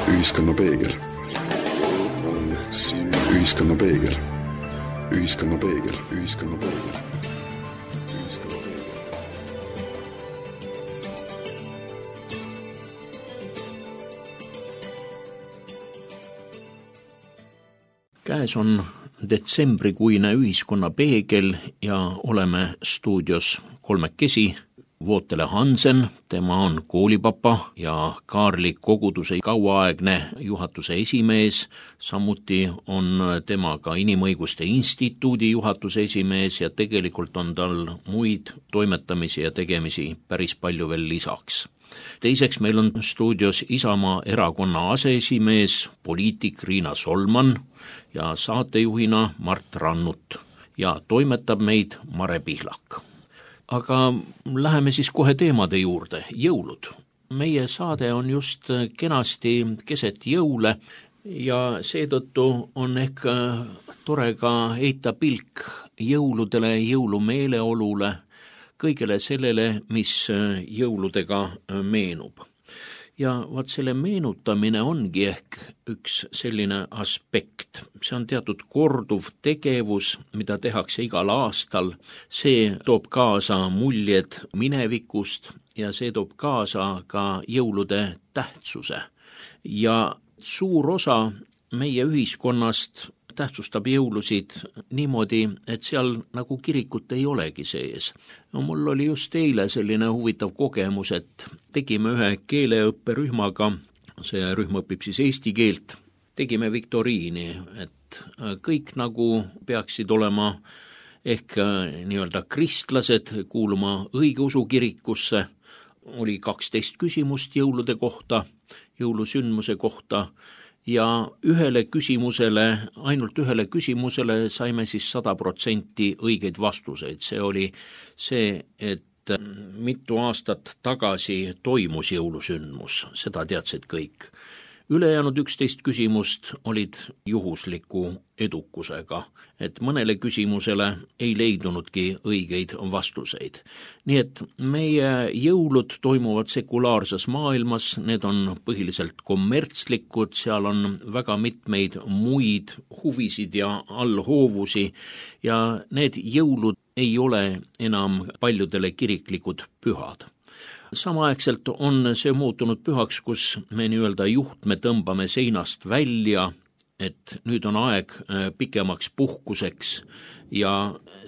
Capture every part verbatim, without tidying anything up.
Ühiskonna peegel. Ühiskonna peegel. Ühiskonna peegel. Ühiskonna peegel. Käes on detsembrikuine Ühiskonna peegel ja oleme stuudios kolmekesi. Vootele Hansen, tema on koolipapa ja Kaarli koguduse kauaaegne juhatuse esimees, samuti on tema ka Inimõiguste Instituudi juhatuse esimees ja tegelikult on tal muid toimetamisi ja tegemisi päris palju veel lisaks. Teiseks meil on stuudios Isamaa erakonna aseesimees, poliitik Riina Solman ja saatejuhina Mart Rannut ja toimetab meid Mare Pihlak. Aga läheme siis kohe teemade juurde, jõulud. Meie saade on just kenasti keset jõule ja seetõttu on ehk tore ka heita pilk jõuludele, jõulumeeleolule, kõigele sellele, mis jõuludega meenub. Ja vaat selle meenutamine ongi ehk üks selline aspekt. See on teatud korduv tegevus, mida tehakse igal aastal. See toob kaasa muljed minevikust ja see toob kaasa ka jõulude tähtsuse. Ja suur osa meie ühiskonnast tähtsustab jõulusid niimoodi, et seal nagu kirikut ei olegi sees. No mul oli just eile selline huvitav kogemus, et tegime ühe keeleõpperühmaga, see rühm õpib siis eesti keelt, tegime viktoriini, et kõik nagu peaksid olema ehk nii-öelda kristlased, kuuluma õigeusu kirikusse, oli kaksteist küsimust jõulude kohta, jõulusündmuse kohta, ja ühele küsimusele, ainult ühele küsimusele saime siis sada protsenti õigeid vastuseid. See oli see, et mitu aastat tagasi toimus jõulusündmus, seda teadsid kõik. Ülejäänud üksteist küsimust olid juhusliku edukusega, et mõnele küsimusele ei leidunudki õigeid vastuseid. Nii et meie jõulud toimuvad sekulaarses maailmas, need on põhiliselt kommertslikud, seal on väga mitmeid muid huvisid ja allhoovusi ja need jõulud ei ole enam paljudele kiriklikud pühad. Samaaegselt on see muutunud pühaks, kus me nii-öelda juhtme tõmbame seinast välja, et nüüd on aeg pikemaks puhkuseks ja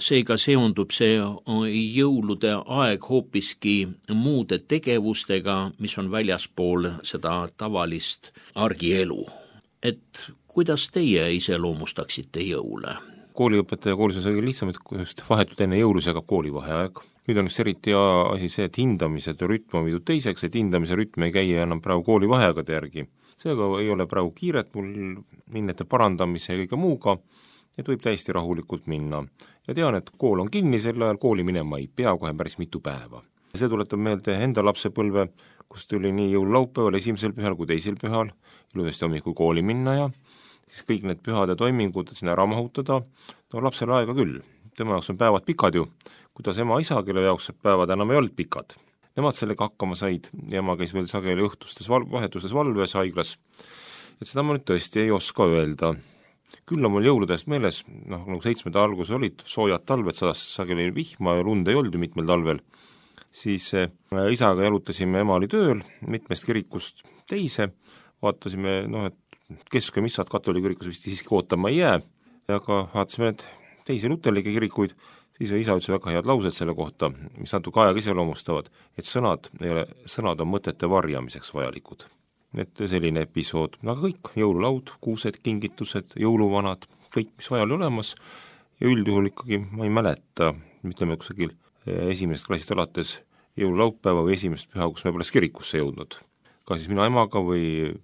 seega seondub see jõulude aeg hoopiski muude tegevustega, mis on väljaspool seda tavalist argielu. Et kuidas teie iseloomustaksite jõule? Kooliõpetaja koolis on see lihtsam, et just vahetult enne jõulusega koolivaheaeg. Nüüd on üks eriti asi see, et hindamised ja rütm on viidud teiseks, et hindamise rütm ei käi enam praegu koolivaheagade järgi. Seega ei ole praegu kiiret mul minnete parandamise ja kõige muuga, et võib täiesti rahulikult minna. Ja tean, et kool on kinni, sel ajal kooli minema ei pea kohe päris mitu päeva. See tuletab meelde enda lapsepõlve, kus tuli nii jõululaupäeval esimesel pühal kui teisel pühal ilusasti hommikul kooli minna ja siis kõik need pühade toimingud sinna ära mahutada, no lapsele aega küll. Tema jaoks on päevad pikad ju, kuidas ema isa, kelle jaoks päevad enam ei olnud pikad. Nemad sellega hakkama said ja ema käis veel sageli õhtustes val- vahetustes valves haiglas. Et seda ma nüüd tõesti ei oska öelda. Küll on mul jõuludest meeles, noh, nagu seitsmenda algus olid soojad talved, sadas sageli vihma ja lund ei olnud ju mitmel talvel. Siis äh, isaga jalutasime, ema oli tööl mitmest kirikust teise, vaatasime, noh, et kesk- ja missad katoliikirikus vist siiski ootama ei jää, aga vaatasime need teisi luterlikke kirikuid, siis isa ütles väga head laused selle kohta, mis natuke ajaga iseloomustavad, et sõnad, ei ole, sõnad on mõtete varjamiseks vajalikud. Et selline episood, aga kõik, jõululaud, kuused, kingitused, jõuluvanad, kõik, mis vaja oli olemas ja üldjuhul ikkagi ma ei mäleta, ütleme kusagil esimesest klassist alates jõululaupäeva või esimest püha, kus me pole kirikusse jõudnud. Ka siis mina emaga või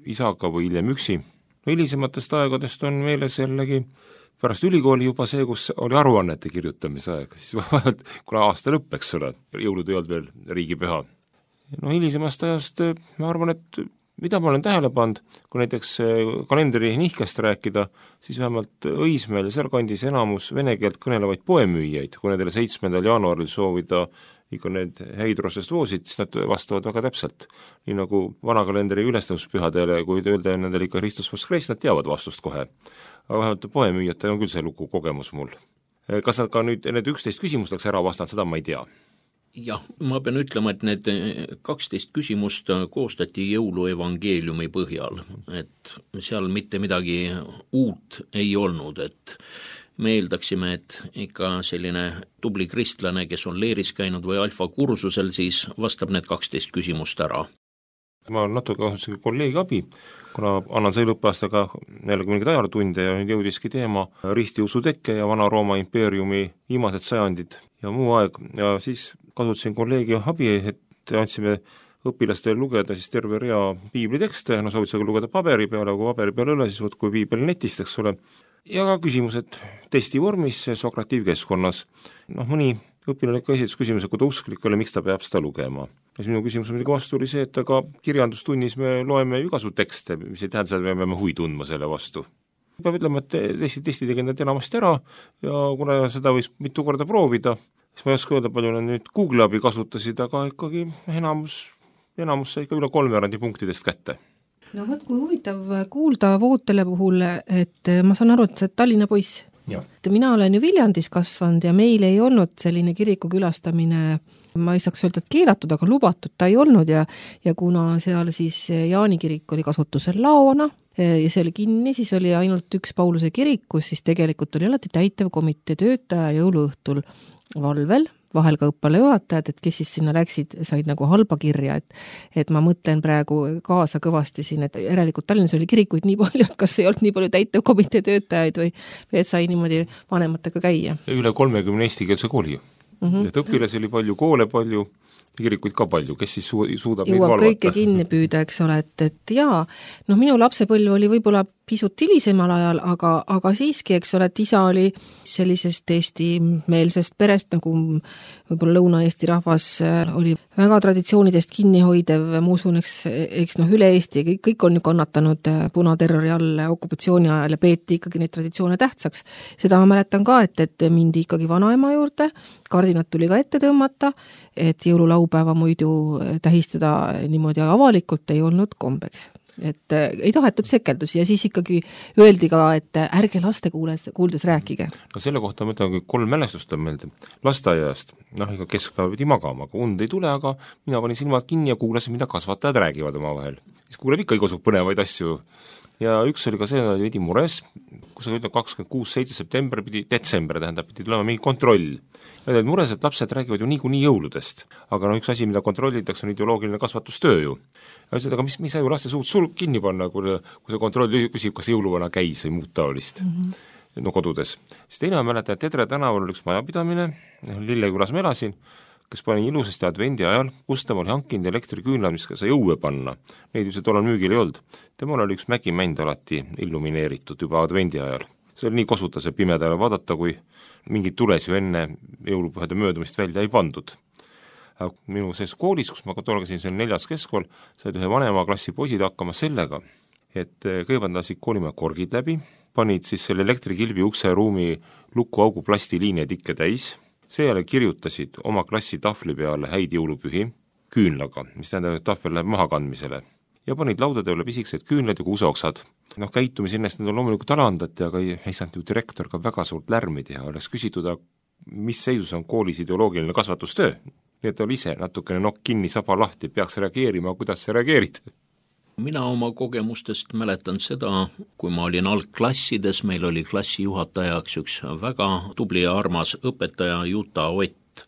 isaga või hiljem üksi. No hilisematest aegadest on meeles jällegi pärast ülikooli juba see, kus oli aruannete kirjutamise aeg, siis vahelt, kuna aasta lõpp, eks ole, jõulud ei olnud veel riigipüha. No hilisemast ajast ma arvan, et mida ma olen tähele pannud, kui näiteks kalendri nihkest rääkida, siis vähemalt Õismäel ja seal kandis enamus vene keelt kõnelevaid poemüüjaid, kui nendele seitsmendal jaanuaril soovida ikka need häid rosestloosid, siis nad vastavad väga täpselt. Nii nagu vanakalendri ülestõuspühadele, kui öelda nendele ikka Kristus Voskreis, nad teavad vastust kohe. Aga vähemalt poemüüjate on küll see lugu kogemus mul. Kas nad ka nüüd need üksteist küsimust oleks ära vastanud, seda ma ei tea. Jah, ma pean ütlema, et need kaksteist küsimust koostati jõuluevangeeliumi põhjal, et seal mitte midagi uut ei olnud, et me eeldaksime, et ikka selline tubli kristlane, kes on leeris käinud või alfa kursusel, siis vastab need kaksteist küsimust ära. Ma natuke kasutasin kolleegi abi, kuna annan selle õppeaastaga jällegi mingid ajalootunde ja nüüd jõudiski teema ristiusu tekke ja Vana-Rooma impeeriumi viimased sajandid ja muu aeg ja siis kasutasin kolleegi abi, et andsime õpilastele lugeda siis terve rea piiblitekste, no soovitusega lugeda paberi peale, kui paberi peale üle, siis võtku piibel netist, eks ole, ja ka küsimused testi vormis sokratiivkeskkonnas. Noh, mõni õpilane ikka esitas küsimuse, kui ta usklik oli, miks ta peab seda lugema. Ja siis minu küsimus muidugi vastu oli see, et aga kirjandustunnis me loeme igasu tekste, mis ei tähenda, et me peame huvi tundma selle vastu. Peab ütlema, et testi, testi tegin need enamasti ära ja kuna seda võis mitu korda proovida, siis ma ei oska öelda, palju nad nüüd Google abi kasutasid, aga ikkagi enamus, enamus sai ikka üle kolmerandi punktidest kätte. No võt, kui huvitav kuulda Vootele puhul, et ma saan aru, et see Tallinna poiss. Ja. Mina olen ju Viljandis kasvanud ja meil ei olnud selline kiriku külastamine, ma ei saaks öelda, et keelatud, aga lubatud ta ei olnud ja, ja kuna seal siis Jaani kirik oli kasutusel laona ja see oli kinni, siis oli ainult üks Pauluse kirikus, siis tegelikult oli alati täitevkomitee töötaja jõuluõhtul valvel, vahel ka õppelejuhatajad, et kes siis sinna läksid, said nagu halba kirja, et, et ma mõtlen praegu kaasa kõvasti siin, et järelikult Tallinnas oli kirikuid nii palju, et kas ei olnud nii palju täitevkomitee töötajaid või, või et sai niimoodi vanematega käia. Üle kolmekümne eestikeelse kooli. Mm-hmm. Et õpilasi oli palju, koole palju, kirikuid ka palju, kes siis su- suudab Jõuab neid valvata. Kõike kinni püüda, eks ole, et, et jaa, noh, minu lapsepõlv oli võib-olla pisut hilisemal ajal, aga, aga siiski, eks ole, et isa oli sellisest Eesti-meelsest perest, nagu võib-olla Lõuna-Eesti rahvas oli väga traditsioonidest kinnihoidev, ma usun, eks, eks noh, üle Eesti, kõik, kõik on ju kannatanud punaterrori all okupatsiooni ajal ja peeti ikkagi neid traditsioone tähtsaks. Seda ma mäletan ka, et, et mindi ikkagi vanaema juurde, kardinat tuli ka ette tõmmata, et jõululaupäeva muidu tähistada niimoodi avalikult ei olnud kombeks. Et ei tahetud sekeldusi ja siis ikkagi öeldi ka, et ärge laste kuules, kuuldes rääkige. No selle kohta ma ütlen, kolm mälestust on meelde. Lasteaiast, noh, ega keskpäeva pidi magama, aga und ei tule, aga mina panin silmad kinni ja kuulasin, mida kasvatajad räägivad oma vahel. Siis kuuleb ikka igasugune põnevaid asju. Ja üks oli ka see, et oli veidi mures, kus oli kakskümmend kuus seitse september pidi, detsember tähendab, pidi tulema mingi kontroll. Ja olid mures, et lapsed räägivad ju niikuinii jõuludest. Aga no üks asi, mida kontrollitakse, on ideoloogiline kasvatustöö ju. Ja ütlesid, aga mis, mis sa ju laste suud sul kinni panna, kui, kui see kontroll küsib, kas jõuluvana käis või muud taolist mm-hmm. no kodudes. Siis teine on mäletan, et Tedre tänaval oli üks majapidamine, Lillekülas ma elasin, kes pani ilusasti advendi ajal, Gustav oli hankinud elektriküünlad, mis sai õue panna. Neid ju see tollal müügil ei olnud. Temal oli üks mägimänd alati illumineeritud juba advendi ajal. See oli nii kosuta see pimedale vaadata, kui mingid tules ju enne jõulupühade möödumist välja ei pandud. Minu sees koolis, kus ma tolgasin, see on neljas keskkool, said ühe vanema klassi poisid hakkama sellega, et kõigepealt lasid koolimaja korgid läbi, panid siis selle elektrikilbi ukse ruumi lukuaugu plastiliine tikke täis, seejärel kirjutasid oma klassi tahvli peale häid jõulupühi küünlaga, mis tähendab, et tahvel läheb mahakandmisele, ja panid laudade üle pisikesed küünlad ja kuuseoksad. Noh, käitumise ennast need on loomulikult alandati, aga ei, ei saanud ju direktor ka väga suurt lärmi teha, oleks küsitud, mis seisus on koolis ideoloogiline kasvatustöö. Nii et oli ise natukene nokk kinni, saba lahti, peaks reageerima, kuidas sa reageerid? Mina oma kogemustest mäletan seda, kui ma olin algklassides, meil oli klassijuhatajaks üks väga tubli ja armas õpetaja Juta Ott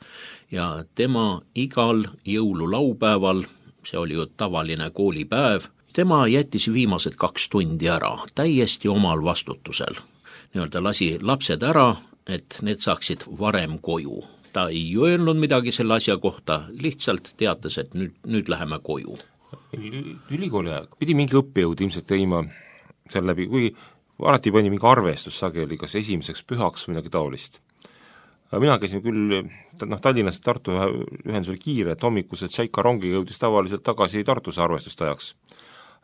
ja tema igal jõululaupäeval, see oli ju tavaline koolipäev, tema jättis viimased kaks tundi ära, täiesti omal vastutusel. Nii-öelda lasi lapsed ära, et need saaksid varem koju. Ta ei öelnud midagi selle asja kohta, lihtsalt teatas, et nüüd, nüüd läheme koju. Ülikooli aeg pidi mingi õppejõud ilmselt teima seal läbi, kui alati pani mingi arvestus sageli, kas esimeseks pühaks või midagi taolist. Mina käisin küll, noh, Tallinnast Tartu ühendus oli kiire, et hommikused Tšaika rongi jõudis tavaliselt tagasi Tartuse arvestust ajaks.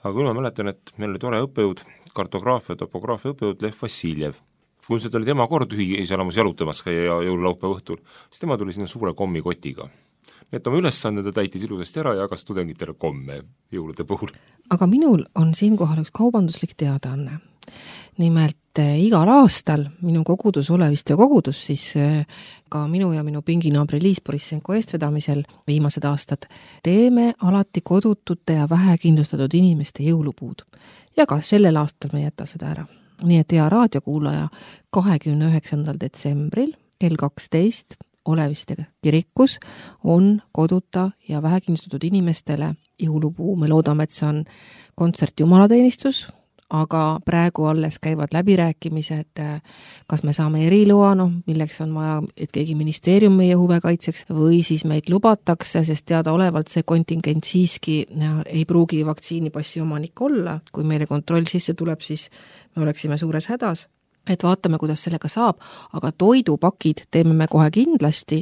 Aga kui ma mäletan, et meil oli tore õppejõud, kartograafia, topograafia õppejõud Lev Vassiljev. Kui oli tema kord ühiselamus jalutamas käia jõululaupäeva õhtul, siis tema tuli sinna suure kommikotiga. et oma ülesanded täitis ilusasti ära ja jagas tudengitele komme jõulude puhul. Aga minul on siinkohal üks kaubanduslik teadaanne. Nimelt eh, igal aastal minu kogudus Oleviste kogudus, siis eh, ka minu ja minu pinginaabri Liis Borissenko eestvedamisel viimased aastad teeme alati kodutute ja vähekindlustatud inimeste jõulupuud. Ja ka sellel aastal me jäta seda ära. Nii et hea raadiokuulaja kahekümne üheksandal detsembril kell kaksteist Oleviste kirikus on koduta ja vähekindlustatud inimestele jõulupuu. Me loodame, et see on kontsert jumalateenistus, aga praegu alles käivad läbirääkimised, kas me saame eriloa, noh, milleks on vaja, et keegi ministeerium meie huve kaitseks, või siis meid lubatakse, sest teadaolevalt see kontingent siiski ei pruugi vaktsiinipassi omanik olla. Kui meile kontroll sisse tuleb, siis me oleksime suures hädas. Et vaatame, kuidas sellega saab, aga toidupakid teeme me kohe kindlasti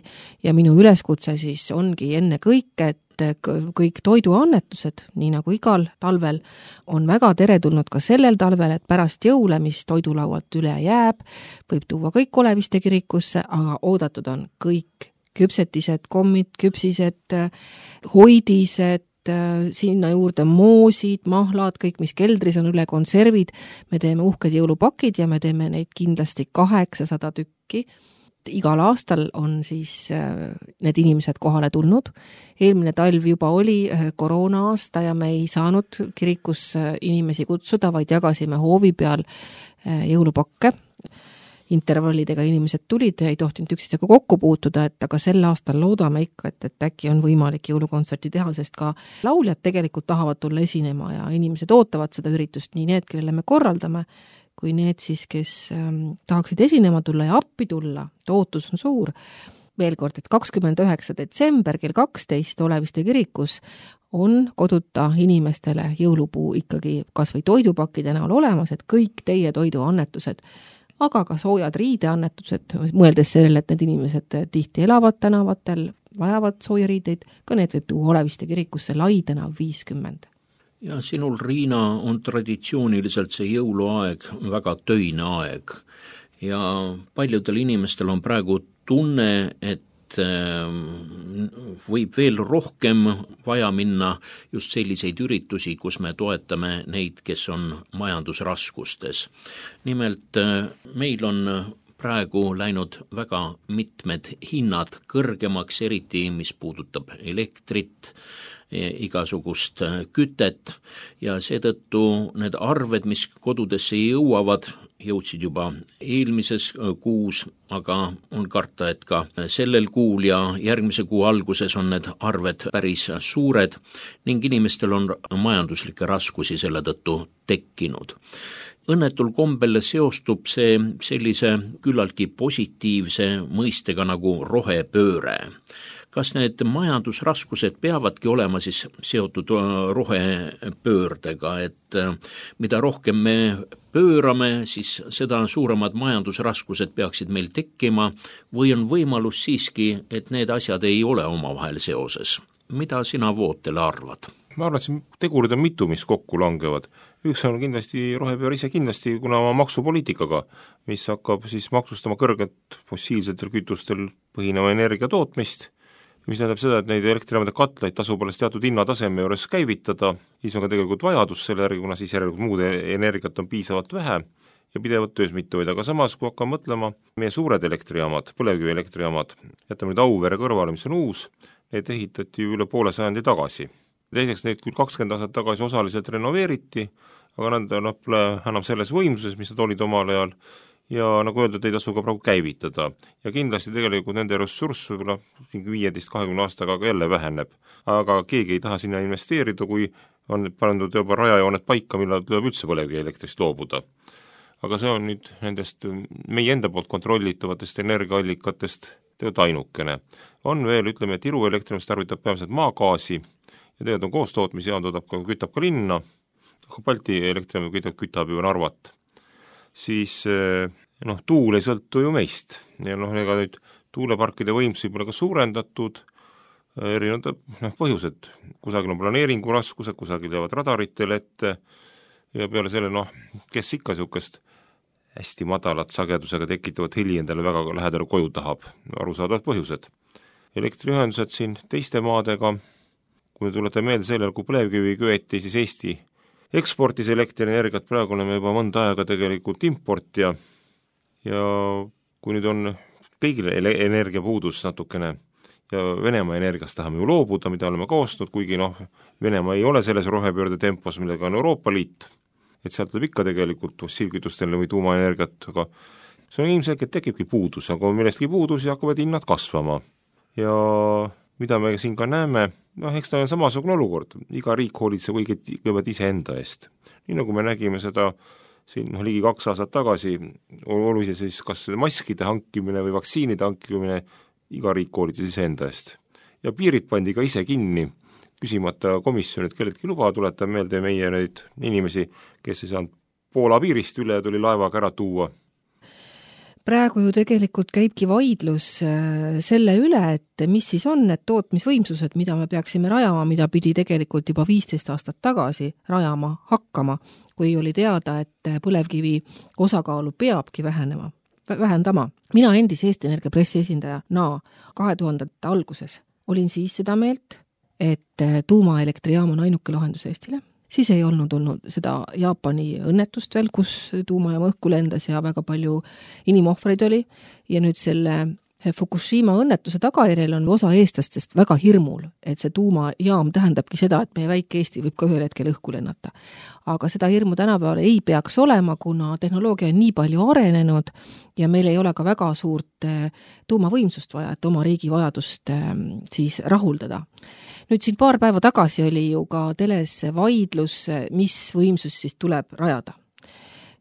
ja minu üleskutse siis ongi enne kõike, et kõik toiduannetused, nii nagu igal talvel, on väga teretulnud ka sellel talvel, et pärast jõule, mis toidulaualt üle jääb, võib tuua kõik Oleviste kirikusse, aga oodatud on kõik küpsetised, kommid, küpsised, hoidised, sinna juurde moosid, mahlad, kõik, mis keldris on üle, konservid. Me teeme uhked jõulupakid ja me teeme neid kindlasti kaheksasada tükki. Igal aastal on siis need inimesed kohale tulnud. Eelmine talv juba oli koroona aasta ja me ei saanud kirikus inimesi kutsuda, vaid jagasime hoovi peal jõulupakke. Intervallidega inimesed tulid, ei tohtinud üksteisega kokku puutuda, et aga sel aastal loodame ikka, et, et äkki on võimalik jõulukontserti teha, sest ka lauljad tegelikult tahavad tulla esinema ja inimesed ootavad seda üritust, nii need, kellele me korraldame, kui need siis, kes ähm, tahaksid esinema tulla ja appi tulla, ootus on suur. Veel kord, et kakskümmend üheksa detsember kell kaksteist Oleviste kirikus on koduta inimestele jõulupuu ikkagi kas või toidupakkide näol olemas, et kõik teie toiduannetused, aga ka soojad riideannetused, mõeldes sellele, et need inimesed tihti elavad tänavatel, vajavad sooja riideid, ka need võib tuua Oleviste kirikusse Laidena viiskümmend. Ja sinul, Riina, on traditsiooniliselt see jõuluaeg väga töine aeg ja paljudel inimestel on praegu tunne, et võib veel rohkem vaja minna just selliseid üritusi, kus me toetame neid, kes on majandusraskustes. Nimelt meil on praegu läinud väga mitmed hinnad kõrgemaks, eriti mis puudutab elektrit, igasugust kütet ja seetõttu need arved, mis kodudesse jõuavad, jõudsid juba eelmises kuus, aga on karta, et ka sellel kuul ja järgmise kuu alguses on need arved päris suured ning inimestel on majanduslikke raskusi selle tõttu tekkinud. Õnnetul kombel seostub see sellise küllaltki positiivse mõistega nagu rohepööre. Kas need majandusraskused peavadki olema siis seotud rohepöördega, et mida rohkem me pöörame, siis seda suuremad majandusraskused peaksid meil tekkima või on võimalus siiski, et need asjad ei ole omavahel seoses? Mida sina, Vootele, arvad? Ma arvan, et siin tegurid on mitu, mis kokku langevad. Üks on kindlasti rohepööre ise kindlasti, kuna oma maksupoliitikaga, mis hakkab siis maksustama kõrget fossiilsetel kütustel põhineva energia tootmist, mis tähendab seda, et neid elektrijaamade katlaid tasub alles teatud hinnataseme juures käivitada, siis on ka tegelikult vajadus selle järgi, kuna siis järelikult muud energiat on piisavalt vähe ja pidevalt töös mitte hoida, aga samas, kui hakkame mõtlema, meie suured elektrijaamad, põlevkivi elektrijaamad, jätame nüüd Auvere kõrvale, mis on uus, need ehitati üle poole sajandi tagasi. Teiseks neid küll kakskümmend aastat tagasi osaliselt renoveeriti, aga nad no, pole enam selles võimsuses, mis nad olid omal ajal, ja nagu öeldud, ei tasu ka praegu käivitada. Ja kindlasti tegelikult nende ressurss võib-olla viieteist kahekümne aastaga jälle väheneb. Aga keegi ei taha sinna investeerida, kui on pandud juba rajajooned paika, millal tuleb üldse põlevkivi elektrist loobuda. Aga see on nüüd nendest meie enda poolt kontrollitavatest energiaallikatest tegelikult ainukene. On veel, ütleme, et Iru elektrimist tarvitab peamiselt maagaasi ja tegelikult on koostootmisjaam, toodab ka, kütab ka linna, aga Balti elektrimist kütab, kütab ju Narvat. Siis noh, tuul ei sõltu ju meist ja noh, ega nüüd tuuleparkide võimsusi pole ka suurendatud, erinevad noh, põhjused, kusagil on planeeringu raskused, kusagil jäävad radaritele ette ja peale selle noh, kes ikka niisugust hästi madalat sagedusega tekitavat heli endale väga lähedale koju tahab, arusaadavad põhjused. elektriühendused siin teiste maadega, kui me tulete meelde sellele, kui põlevkivi köeti, siis Eesti eksportis elektrienergiat, praegu oleme juba mõnda aega tegelikult importija ja kui nüüd on kõigile energiapuudus natukene ja Venemaa energiast tahame ju loobuda, mida oleme koostanud, kuigi noh, Venemaa ei ole selles rohepöörde tempos, millega on Euroopa Liit, et sealt tuleb ikka tegelikult fossiilkütustele või tuumaenergiat, aga see on ilmselgelt tekibki puudus, aga kui millestki puudus ja hakkavad hinnad kasvama. Ja mida me siin ka näeme, noh, eks ta on samasugune olukord, iga riik hoolitseb kõigepealt iseenda eest. Nii nagu me nägime seda siin noh, ligi kaks aastat tagasi, oluliselt siis kas maskide hankimine või vaktsiinide hankimine, iga riik hoolitses iseenda eest. Ja piirid pandi ka ise kinni, küsimata komisjonid kelleltki luba, tuletan meelde meie neid inimesi, kes ei saanud Poola piirist üle ja tuli laevaga ära tuua. Praegu ju tegelikult käibki vaidlus selle üle, et mis siis on need tootmisvõimsused, mida me peaksime rajama, mida pidi tegelikult juba viisteist aastat tagasi rajama hakkama, kui oli teada, et põlevkivi osakaalu peabki vähenema, vähendama. Mina endise Eesti Energia pressiesindaja na kahe tuhandete alguses olin siis seda meelt, et tuumaelektrijaam on ainuke lahendus Eestile. Siis ei olnud olnud seda Jaapani õnnetust veel, kus tuumajaam õhku lendas ja väga palju inimohvreid oli. Ja nüüd selle Fukushima õnnetuse tagajärjel on osa eestlastest väga hirmul, et see tuumajaam tähendabki seda, et meie väike Eesti võib ka ühel hetkel õhku lennata. Aga seda hirmu tänapäeval ei peaks olema, kuna tehnoloogia on nii palju arenenud ja meil ei ole ka väga suurt tuumavõimsust vaja, et oma riigi vajadust siis rahuldada. Nüüd siin paar päeva tagasi oli ju ka teles vaidlus, mis võimsus siis tuleb rajada.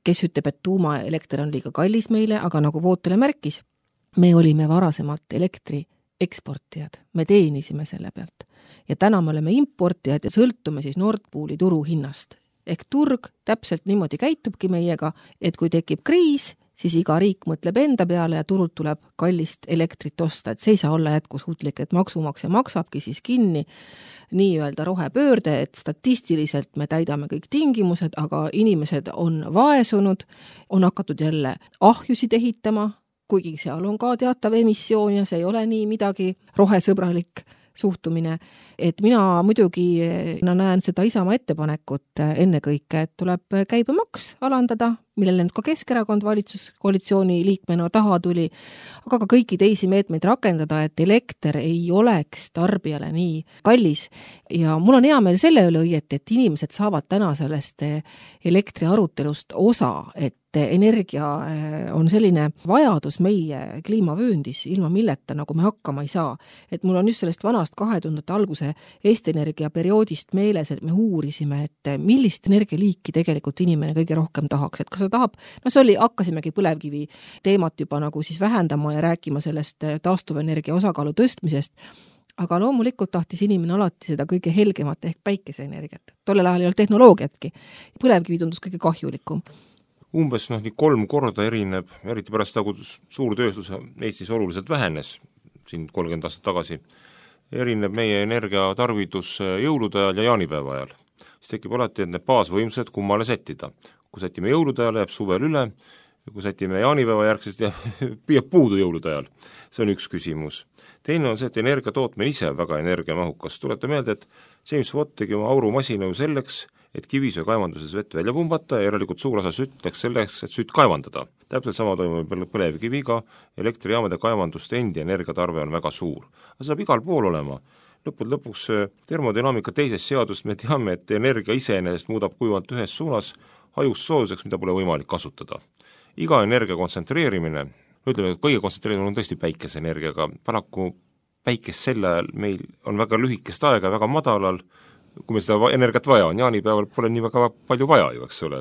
Kes ütleb, et tuumaelekter on liiga kallis meile, aga nagu Vootele märkis, me olime varasemalt elektri eksportijad, me teenisime selle pealt. Ja täna me oleme importijad ja sõltume siis Nord Pooli turu hinnast. Ehk turg täpselt niimoodi käitubki meiega, et kui tekib kriis, siis iga riik mõtleb enda peale ja turult tuleb kallist elektrit osta, et see ei saa olla jätkusuutlik, et maksumaksja maksabki siis kinni nii-öelda rohepöörde, et statistiliselt me täidame kõik tingimused, aga inimesed on vaesunud, on hakatud jälle ahjusid ehitama, kuigi seal on ka teatav emissioon ja see ei ole nii midagi rohesõbralik suhtumine, et mina muidugi no, näen seda Isamaa ettepanekut ennekõike, et tuleb käibemaks alandada, millele nüüd ka Keskerakond valitsuskoalitsiooni liikmena taha tuli, aga ka kõiki teisi meetmeid rakendada, et elekter ei oleks tarbijale nii kallis. Ja mul on hea meel selle üle õieti, et inimesed saavad täna sellest elektriarutelust osa, et energia on selline vajadus meie kliimavööndis, ilma milleta nagu me hakkama ei saa. Et mul on just sellest vanast kahe tuhandete alguse Eesti Energia perioodist meeles, et me uurisime, et millist energialiiki tegelikult inimene kõige rohkem tahaks, et kas ta tahab, no see oli, hakkasimegi põlevkivi teemat juba nagu siis vähendama ja rääkima sellest taastuvenergia osakaalu tõstmisest, aga loomulikult tahtis inimene alati seda kõige helgemat ehk päikeseenergiat. Tollel ajal ei olnud tehnoloogiatki. Põlevkivi tundus kõige kahjulikum. Umbes noh, nii kolm korda erineb, eriti pärast seda, kui suurtööstus Eestis oluliselt vähenes, siin kolmkümmend aastat tagasi, erineb meie energiatarvidus jõulude ajal ja jaanipäeva ajal. Siis tekib alati, et need baasvõimsused kummale sättida. Kui sätime jõulude ajal, jääb suvel üle, kui sätime jaanipäeva järgsest, jääb puudu jõulude ajal. See on üks küsimus. Teine on see, et energia tootmine ise väga energiamahukas. Tulete meelde, et James Watt tegi oma aurumasina ju selleks, et kivisöe kaevanduses vett välja pumbata ja järelikult suur osa sütt läks selleks, et sütt kaevandada. Täpselt sama toimub põlevkiviga, elektrijaamade kaevanduste endi energiatarve on väga suur. Aga see saab igal pool olema. Lõpud lõpuks termodünaamika teisest seadust me teame, et energia iseenesest muudab kujuvalt ühes suunas hajust soojuseks, mida pole võimalik kasutada. Iga energia kontsentreerimine, ütleme, et kõige kontsentreerimine on tõesti päikeseenergiaga, paraku päikest selle ajal meil on väga lühikest aega, väga madalal, kui meil seda energiat vaja on, jaanipäeval pole nii väga palju vaja ju, eks ole.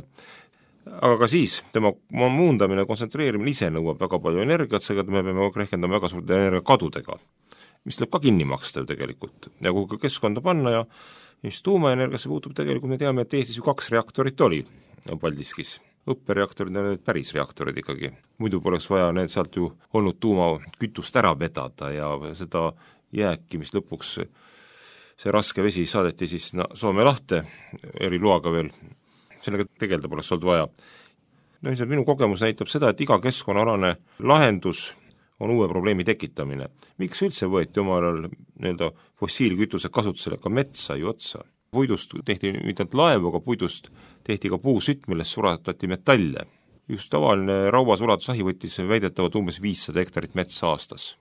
Aga ka siis tema muundamine, kontsentreerimine ise nõuab väga palju energiat, seega me peame rehkendama väga suurte energiakadudega, mis tuleb ka kinni maksta ju tegelikult. Ja kui ka keskkonda panna ja mis tuumaenergiasse puutub, tegelikult me teame, et Eestis ju kaks reaktorit oli Paldiskis. Õppereaktorid on need päris reaktorid ikkagi. Muidu poleks vaja need sealt ju olnud tuumakütust ära vedada ja seda jääki, mis lõpuks see raske vesi saadeti siis no, Soome lahte eri loaga veel, sellega tegelda poleks olnud vaja. No, minu kogemus näitab seda, et iga keskkonnaalane lahendus on uue probleemi tekitamine. Miks üldse võeti omal ajal nii-öelda fossiilkütuse kasutusele, ka metsa ju otsa? Puidust tehti mitte ainult laevu, aga puidust tehti ka puusütt, millest suratati metalle. Just tavaline rauasulatusahi võttis väidetavalt umbes viissada hektarit metsa aastas.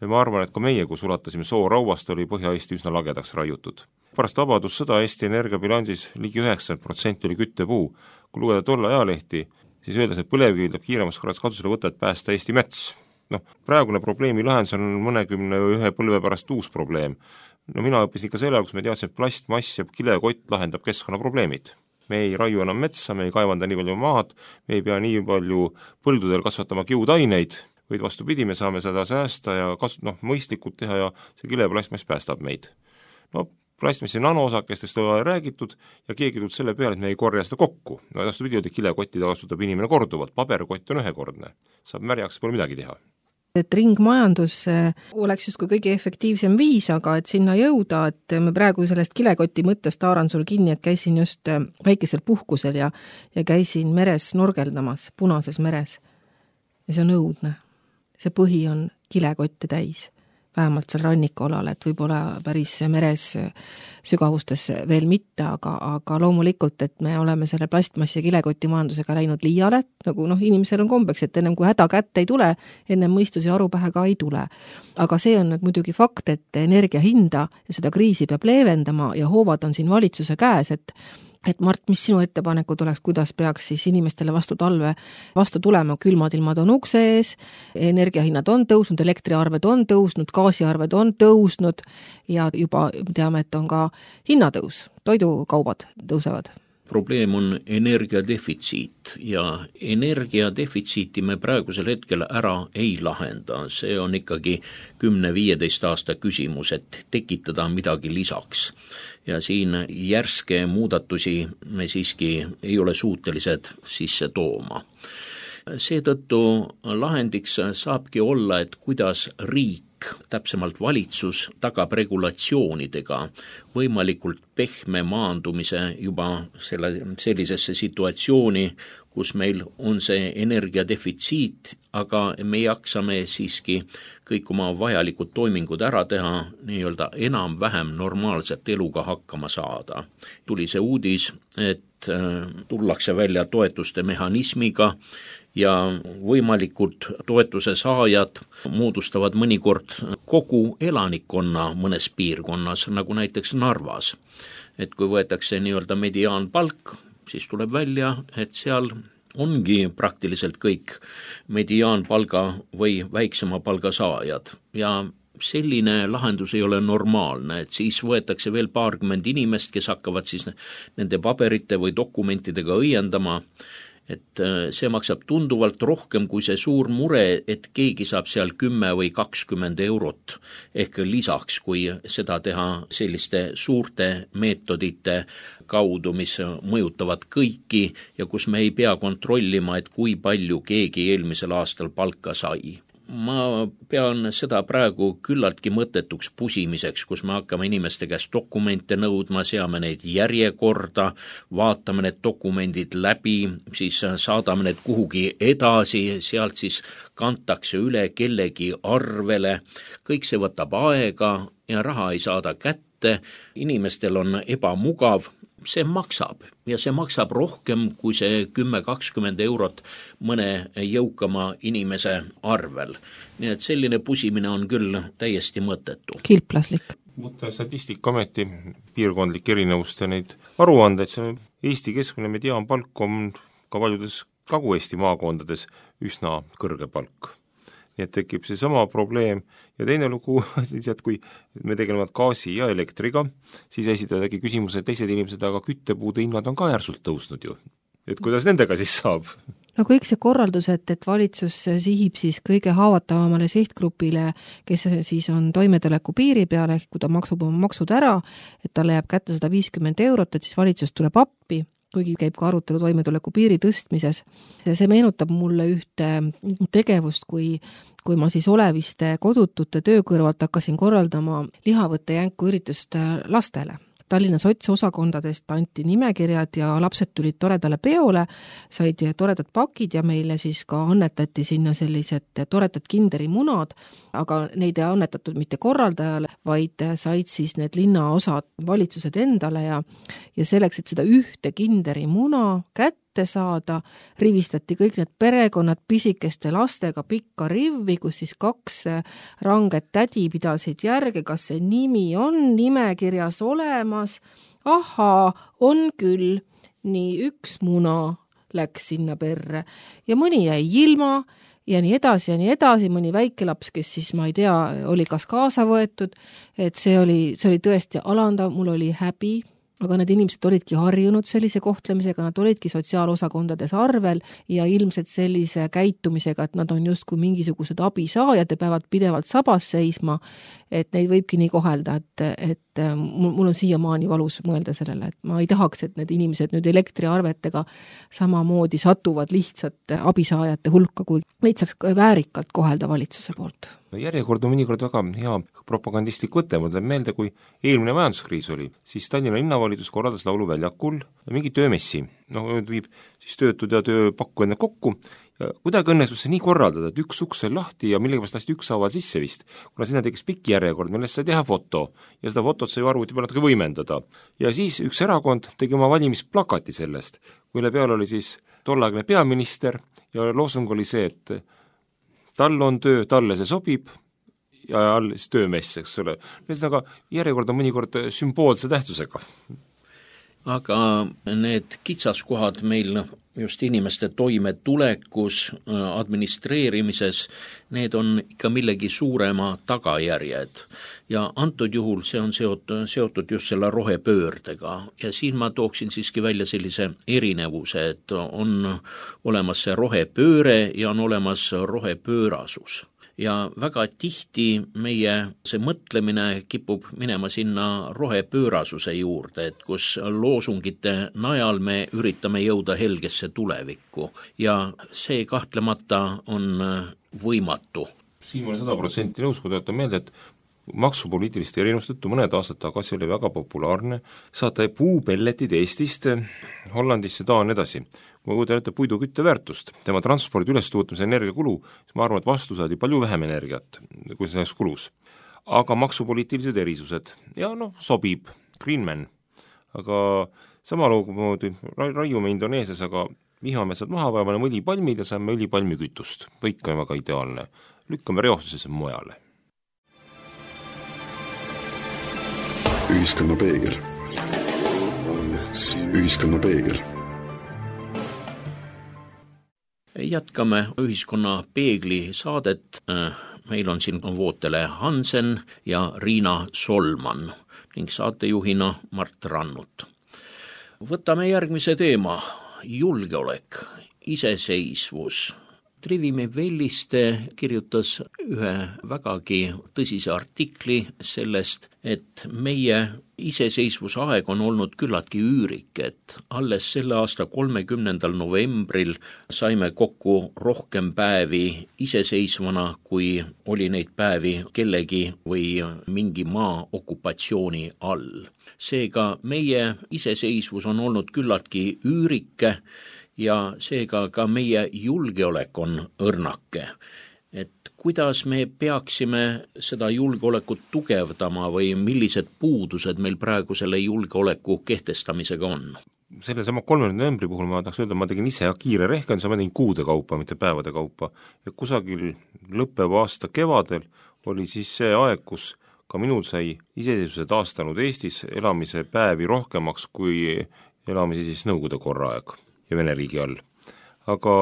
Ja ma arvan, et ka meie, kui sulatasime soo rauast, oli Põhja-Eesti üsna lagedaks raiutud. Pärast vabadussõda Eesti energiabilansis ligi üheksakümmend protsenti oli küttepuu. Kui lugeda tolle ajalehti, siis öeldes, et põlevkivi tuleb kiiremas korras kasutusele võtta, et päästa Eesti mets. Noh, praegune probleemi lahendus on mõnekümne ühe põlve pärast uus probleem. No mina õppisin ikka selle, kus me teadsin, et plastmass ja kilekott lahendab keskkonnaprobleemid. Me ei raiu enam metsa, me ei kaevanda nii palju maad, me ei pea nii palju põldudel kasvatama kiudaineid, vaid vastupidi, me saame seda säästa ja kas, noh, mõistlikult teha ja see kileplastmass päästab meid. No, plastmassi nanoosakestest on räägitud ja keegi tuld selle peale, et me ei korja seda kokku. No vastupidi, et kilekottida kasutab inimene korduvalt, paberkott on ühekordne, saab märjaks, pole midagi teha. Et ringmajandus oleks justkui kõige efektiivsem viis, aga et sinna jõuda, et me praegu sellest kilekoti mõttest haaran sul kinni, et käisin just väikesel puhkusel ja, ja käisin meres norgeldamas, Punases meres. Ja see on õudne. See põhi on kilekotte täis, vähemalt seal rannikualal, et võib-olla päris meres sügavustes veel mitte, aga, aga loomulikult, et me oleme selle plastmassi ja kilekoti majandusega läinud liiale, nagu noh, inimesel on kombeks, et ennem kui häda kätte ei tule, ennem mõistus ja aru pähe ka ei tule. Aga see on nüüd muidugi fakt, et energia hinda ja seda kriisi peab leevendama ja hoovad on siin valitsuse käes, et Et Mart, mis sinu ettepanekud oleks, kuidas peaks siis inimestele vastu talve vastu tulema, külmad ilmad on ukse ees, energiahinnad on tõusnud, elektriarved on tõusnud, gaasiarved on tõusnud ja juba teame, et on ka hinnatõus, toidukaubad tõusevad. Probleem on energiadefitsiit ja energiadefitsiiti me praegusel hetkel ära ei lahenda. See on ikkagi kümne viieteist aasta küsimus, et tekitada midagi lisaks. Ja siin järske muudatusi me siiski ei ole suutelised sisse tooma. Seetõttu lahendiks saabki olla, et kuidas riik, täpsemalt valitsus, tagab regulatsioonidega võimalikult pehme maandumise juba selle, sellisesse situatsiooni, kus meil on see energiadefitsiit, aga me jaksame siiski kõik oma vajalikud toimingud ära teha, nii-öelda enam-vähem normaalset eluga hakkama saada. Tuli see uudis, et tullakse välja toetuste mehhanismiga ja võimalikud toetuse saajad moodustavad mõnikord kogu elanikkonna mõnes piirkonnas, nagu näiteks Narvas. Et kui võetakse nii-öelda mediaanpalk, siis tuleb välja, et seal ongi praktiliselt kõik mediaanpalga või väiksema palga saajad ja selline lahendus ei ole normaalne, et siis võetakse veel paarkümmend inimest, kes hakkavad siis nende paberite või dokumentidega õiendama, et see maksab tunduvalt rohkem kui see suur mure, et keegi saab seal kümme või kakskümmend eurot ehk lisaks, kui seda teha selliste suurte meetodite kaudu, mis mõjutavad kõiki ja kus me ei pea kontrollima, et kui palju keegi eelmisel aastal palka sai. Ma pean seda praegu küllaltki mõttetuks pusimiseks, kus me hakkame inimeste käest dokumente nõudma, seame neid järjekorda, vaatame need dokumendid läbi, siis saadame need kuhugi edasi, sealt siis kantakse üle kellegi arvele, kõik see võtab aega ja raha ei saada kätte, inimestel on ebamugav, see maksab ja see maksab rohkem kui see kümme kakskümmend eurot mõne jõukama inimese arvel. Nii et selline pusimine on küll täiesti mõttetu. Kilplaslik. Võtta Statistikaameti piirkondlik erinevust ja neid aruandeid, see Eesti keskmine mediaanpalk on ka paljudes Kagu-Eesti maakondades üsna kõrge palk. Nii et tekib see sama probleem ja teine lugu, et kui me tegeleme gaasi ja elektriga, siis esitadagi küsimuse, et teised inimesed, aga küttepuude hinnad on ka järsult tõusnud ju. Et kuidas nendega siis saab? No kõik see korraldus, et, et valitsus sihib siis kõige haavatavamale sihtgrupile, kes siis on toimetuleku piiri peale, kui ta maksub oma maksud ära, et talle jääb kätte sada viiskümmend eurot, et siis valitsus tuleb appi, kuigi käib ka arutelu toimetuleku piiri tõstmises. See meenutab mulle ühte tegevust, kui, kui ma siis oleviste kodutute töö kõrvalt hakkasin korraldama lihavõtte jänku üritust lastele. Tallinna sotsosakondadest anti nimekirjad ja lapsed tulid toredale peole, said toredad pakid ja meile siis ka annetati sinna sellised toredad kinderimunad, aga neid ei annetatud mitte korraldajale, vaid said siis need linnaosad valitsused endale ja, ja selleks, et seda ühte kinderimuna kätte saada, rivistati kõik need perekonnad pisikeste lastega pikka rivvi, kus siis kaks ranget tädi pidasid järge, kas see nimi on nimekirjas olemas. Ahaa, on küll. Nii üks muna läks sinna perre ja mõni jäi ilma ja nii edasi ja nii edasi, mõni väike laps, kes siis, ma ei tea, oli kas kaasa võetud, et see oli, see oli tõesti alandav, mul oli häbi. Aga need inimesed olidki harjunud sellise kohtlemisega, nad olidki sotsiaalosakondades arvel ja ilmselt sellise käitumisega, et nad on justkui mingisugused abisaajad ja peavad pidevalt sabas seisma, et neid võibki nii kohelda, et, et mul on siiamaani valus mõelda sellele, et ma ei tahaks, et need inimesed nüüd elektriarvetega samamoodi satuvad lihtsalt abisaajate hulka, kui neid saaks väärikalt kohelda valitsuse poolt. No järjekord on mõnikord väga hea propagandistlik võte, ma tuleb meelde, kui eelmine majanduskriis oli, siis Tallinna linnavalitsus korraldas lauluväljakul mingi töömessi, noh, viib siis töötud ja tööpakku enne kokku, ja kuidagi õnnestus see nii korraldada, et üks uks oli lahti ja millegipärast lasti ükshaaval sisse vist, kuna sinna tekkis pikk järjekord, millest sai teha foto ja seda fotot sai arvuti peal natuke võimendada. Ja siis üks erakond tegi oma valimisplakati sellest, mille peal oli siis tollaegne peaminister ja loosung oli see, et tal on töö, talle see sobib ja all siis töömess, eks ole. Aga järjekord on mõnikord sümboolse tähtsusega. Aga need kitsaskohad meil just inimeste toimetulekus, administreerimises, need on ikka millegi suurema tagajärjed. Ja antud juhul see on seotud, seotud just selle rohepöördega. Ja siin ma tooksin siiski välja sellise erinevuse, et on olemas see rohepööre ja on olemas rohepöörasus. Ja väga tihti meie see mõtlemine kipub minema sinna rohepöörasuse juurde, et kus loosungite najal me üritame jõuda helgesse tulevikku ja see kahtlemata on võimatu. Siin ma olen sada protsenti nõus, kui tuletan meelde, et maksupoliitiliste erinustõttu mõned aastad tagasi oli väga populaarne saata puupelletid Eestist Hollandisse, Taani edasi. Kui ma kuudan ette puidukütte väärtust, tema transpordi ülestuutmise energiakulu, siis ma arvan, et vastu saadi palju vähem energiat, kui selleks kulus. Aga maksupoliitilised erisused, ja noh, sobib, Greenman, aga sama loomumoodi raiume Indoneesias, aga vihmametsad maha, vaevane õlipalmid ja saame õlipalmikütust, kõik on väga ideaalne. Lükkame reostusesse mujale. Ühiskonna peegel. Ühiskonna peegel. Jätkame ühiskonna peegli saadet. Meil on siin Vootele Hansen ja Riina Solman ning saatejuhina Mart Rannut. Võtame järgmise teema, julgeolek, iseseisvus. Trivimi Velliste kirjutas ühe vägagi tõsise artikli sellest, et meie iseseisvusaeg on olnud küllaltki üürik, et alles selle aasta kolmekümnendal novembril saime kokku rohkem päevi iseseisvana, kui oli neid päevi kellegi või mingi maa okupatsiooni all. Seega meie iseseisvus on olnud küllaltki üürike, ja seega ka meie julgeolek on õrnake. Et kuidas me peaksime seda julgeolekut tugevdama või millised puudused meil praegu selle julgeoleku kehtestamisega on? Selle sama kolmekümnenda novembri puhul ma tahaks öelda, ma tegin ise kiire rehkenduse, ma tegin kuude kaupa, mitte päevade kaupa. Ja kusagil lõppeva aasta kevadel oli siis see aeg, kus ka minul sai iseseisvuse taastanud Eestis elamise päevi rohkemaks kui elamise siis Nõukogude korra aeg ja Vene riigi all. Aga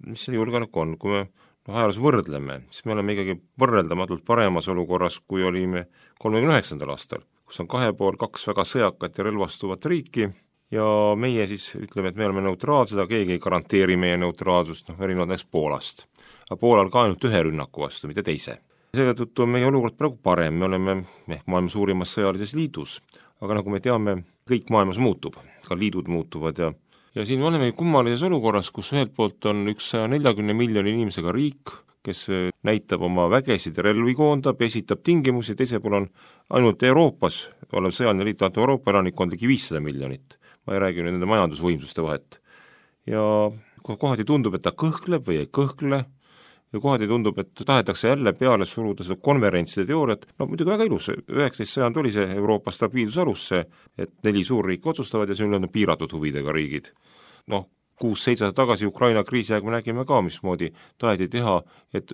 mis selle julgeolek on? Kui me no, ajaloos võrdleme, siis me oleme ikkagi võrreldamatult paremas olukorras, kui olime kolmekümne üheksandal aastal, kus on kahe pool kaks väga sõjakat ja relvastuvat riiki ja meie siis ütleme, et me oleme neutraalsed, aga keegi ei garanteeri meie neutraalsust, noh, erinevalt näiteks Poolast. Aga Poolal ka ainult ühe rünnaku vastu, mitte teise. Seetõttu on meie olukord praegu parem, me oleme ehk maailma suurimas sõjalises liidus, aga nagu me teame, kõik maailmas muutub, ka liidud muutuvad ja ja siin oleme kummalises olukorras, kus ühelt poolt on üks saja neljakümne miljoni inimesega riik, kes näitab oma vägesid ja relvi koondab ja esitab tingimusi, teisel pool on ainult Euroopas, olev sõjaline liit, Euroopa elanikkond ligi viissada miljonit. Ma ei räägi nende majandusvõimsuste vahet. Ja kohati tundub, et ta kõhkleb või ei kõhkle, ja kohati tundub, et tahetakse jälle peale suruda seda konverentside teooriat, no muidugi väga ilus, üheksateist sajand oli see Euroopa stabiilsus alus, et neli suurriiki otsustavad ja see on piiratud huvidega riigid. Noh, kuus-seitse tagasi Ukraina kriisi aeg me nägime ka, mismoodi taheti teha, et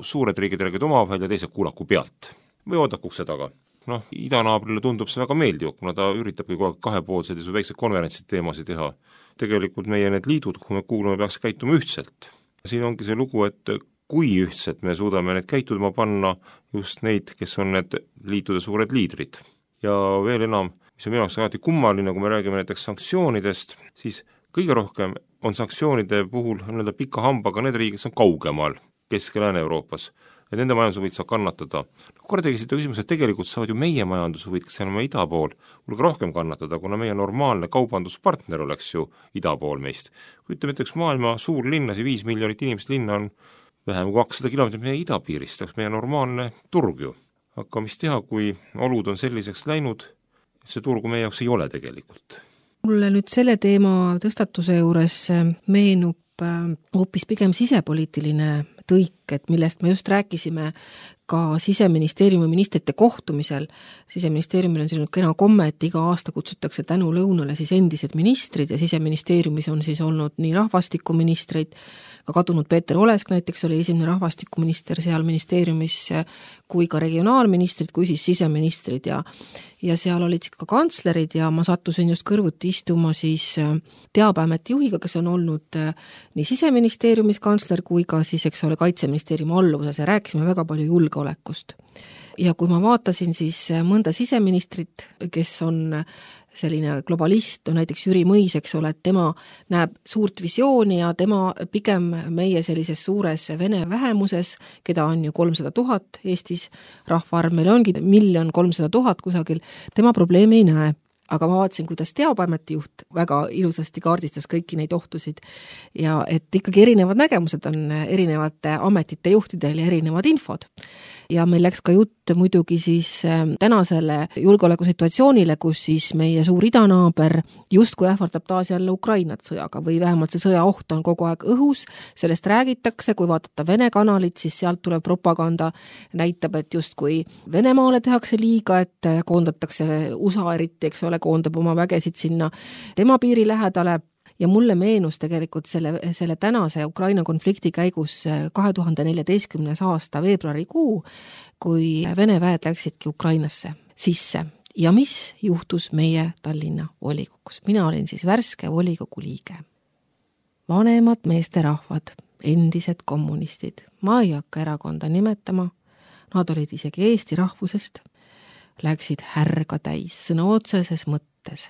suured riigid räägid omavahel ja teised kuulaku pealt või oodaku ukse taga. Noh, idanaabrile tundub see väga meeldiv, kuna ta üritabki kogu aeg kahepoolsed ja väiksed konverentsid teemasid teha. Tegelikult meie need liidud, kuhu me kuulume, peaks käituma ühtselt. Siin ongi see lugu, et kui ühtselt me suudame need käitudma panna just neid, kes on need liitude suured liidrid. Ja veel enam, mis on minu jaoks alati kummaline, kui me räägime näiteks sanktsioonidest, siis kõige rohkem on sanktsioonide puhul nii-öelda pika hambaga need riigid, kes on kaugemal Kesk- ja Lääne-Euroopas, et nende majandushuvid saab kannatada. Kordagi seda küsimus, et tegelikult saavad ju meie majandushuvid, kes on ida pool, hulga rohkem kannatada, kuna meie normaalne kaubanduspartner oleks ju ida pool meist. Kui ütleme, et üks maailma suur linnas ja viis miljonit inimest linna on vähem kui kakssada kilomeetrit meie idapiirist, oleks meie normaalne turg ju. Aga mis teha, kui olud on selliseks läinud, et see turgu meie jaoks ei ole tegelikult? Mulle nüüd selle teema tõstatuse juures meenub hoopis pigem sisepoliitiline tõik, et millest me just rääkisime ka Siseministeeriumi ministrite kohtumisel. Siseministeeriumil on selline kena komme, et iga aasta kutsutakse tänu lõunale siis endised ministrid ja Siseministeeriumis on siis olnud nii rahvastikuministreid, ka kadunud Peeter Olesk näiteks oli esimene rahvastikuminister seal ministeeriumis, kui ka regionaalministrid, kui siis siseministrid ja ja seal olid ka kantslerid ja ma sattusin just kõrvuti istuma siis Teabeameti juhiga, kes on olnud nii Siseministeeriumis kantsler kui ka siis, eks ole, Kaitseministeeriumi alluvuses ja rääkisime väga palju julgeolekust. Ja kui ma vaatasin siis mõnda siseministrit, kes on selline globalist, on näiteks Jüri Mõis, eks ole, et tema näeb suurt visiooni ja tema pigem meie sellises suures vene vähemuses, keda on ju kolmsada tuhat Eestis, rahvaarv meil ongi miljon kolmsada tuhat kusagil, tema probleemi ei näe. Aga ma vaatasin, kuidas Teabeameti juht väga ilusasti kaardistas kõiki neid ohtusid ja et ikkagi erinevad nägemused on erinevate ametite juhtidel ja erinevad infod. Ja meil läks ka jutt muidugi siis tänasele julgeolekusituatsioonile, kus siis meie suur idanaaber justkui ähvardab taas jälle Ukrainat sõjaga või vähemalt see sõjaoht on kogu aeg õhus, sellest räägitakse, kui vaadata Vene kanalit, siis sealt tuleb propaganda, näitab, et justkui Venemaale tehakse liiga, et koondatakse U S A eriti, eks ole, koondab oma vägesid sinna tema piiri lähedale. Ja mulle meenus tegelikult selle, selle tänase Ukraina konflikti käigus kahe tuhande neljateistkümnes aasta veebruarikuu, kui Vene väed läksidki Ukrainasse sisse. Ja mis juhtus meie Tallinna volikogus? Mina olin siis värske volikogu liige. Vanemad meesterahvad, endised kommunistid, ma ei hakka erakonda nimetama, nad olid isegi Eesti rahvusest, läksid härga täis, sõna otseses mõttes.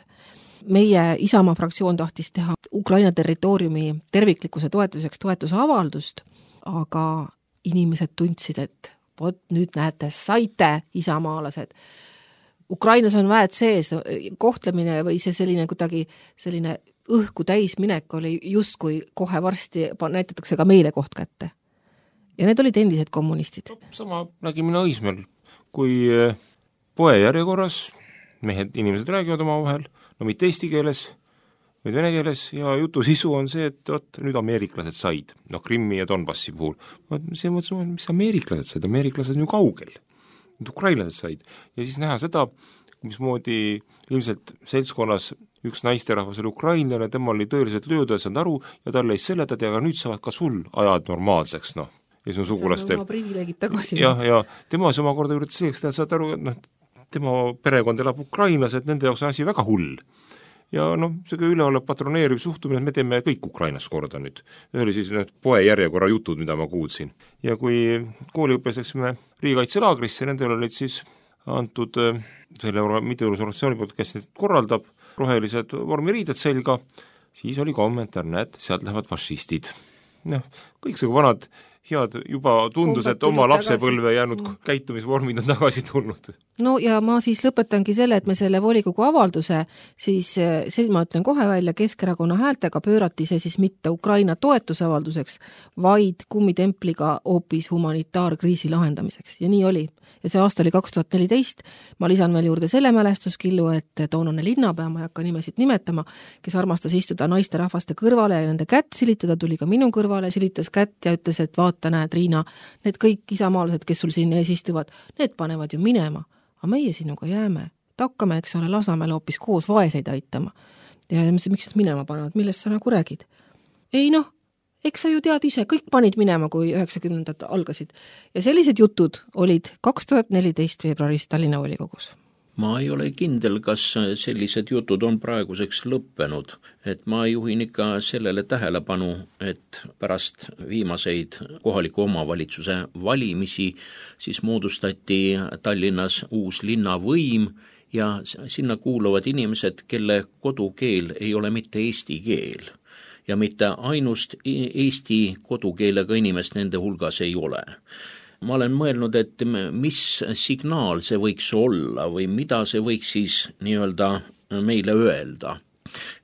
Meie Isamaa fraktsioon tahtis teha Ukraina territooriumi terviklikkuse toetuseks toetusavaldust, aga inimesed tundsid, et vot nüüd näete, saite isamaalased. Ukrainas on väed sees, kohtlemine või see selline kuidagi selline õhku täis minek oli justkui kohe varsti näitatakse ka meile koht kätte. Ja need olid endised kommunistid. Sama nägi mina Õismäel, kui poe järjekorras mehed, inimesed räägivad oma vahel, no mitte eesti keeles, vaid vene keeles ja jutu sisu on see, et oot, nüüd ameeriklased said, noh Krimmi ja Donbassi puhul. See mõtlesin, mis ameeriklased said, ameeriklased on ju kaugel, nüüd ukrainlased said. Ja siis näha seda, mismoodi ilmselt seltskonnas üks naisterahvas oli ukrainlane, tema oli tõeliselt lööda ja saanud aru ja talle ei seletati, aga nüüd saavad ka sul ajad normaalseks, noh. Ja sinu sugulastel. Oma privileegid tagasi. Ja, ja tema see omakorda üritas selleks, et saad aru, et noh, tema perekond elab Ukrainas, et nende jaoks on asi väga hull. Ja noh, see üleolev patroneeriv suhtumine, et me teeme kõik Ukrainas korda nüüd. See oli siis need poe järjekorra jutud, mida ma kuulsin. Ja kui kooliõppes läksime riigikaitselaagrisse, nendel olid siis antud selle mitteorganisatsiooni poolt, kes neid korraldab, rohelised vormiriided selga, siis oli kommentaar, näed, sealt lähevad fašistid. Noh, kõik see vanad head, juba tundus, et oma lapsepõlve jäänud mm. käitumisvormid on tagasi tulnud. No ja ma siis lõpetangi selle, et me selle volikogu avalduse, siis see ma ütlen kohe välja, Keskerakonna häältega pöörati see siis mitte Ukraina toetusavalduseks, vaid kummitempliga hoopis humanitaarkriisi lahendamiseks. Ja nii oli. Ja see aasta oli kaks tuhat neliteist, ma lisan veel juurde selle mälestuskillu, et toonane linnapea, ma ei hakka nimesid nimetama, kes armastas istuda naiste rahvaste kõrvale ja nende kätt silitada, tuli ka minu kõrvale, silitas kätt ja ütles, et vaata, näed, Riina, need kõik isamaalased, kes sul siin ees istuvad, need panevad ju minema, aga meie sinuga jääme, takkame, eks ole, Lasnamäel hoopis koos vaeseid aitama. Ja miks nad minema panevad, millest sa nagu räägid? Ei noh, eks sa ju tead ise, kõik panid minema, kui üheksakümnendad algasid. Ja sellised jutud olid kaks tuhat neliteist veebruaris Tallinna volikogus. Ma ei ole kindel, kas sellised jutud on praeguseks lõppenud, et ma juhin ikka sellele tähelepanu, et pärast viimaseid kohaliku omavalitsuse valimisi siis moodustati Tallinnas uus linnavõim ja sinna kuuluvad inimesed, kelle kodukeel ei ole mitte eesti keel. Ja mitte ainust eesti kodukeelega inimest nende hulgas ei ole. Ma olen mõelnud, et mis signaal see võiks olla või mida see võiks siis nii-öelda meile öelda.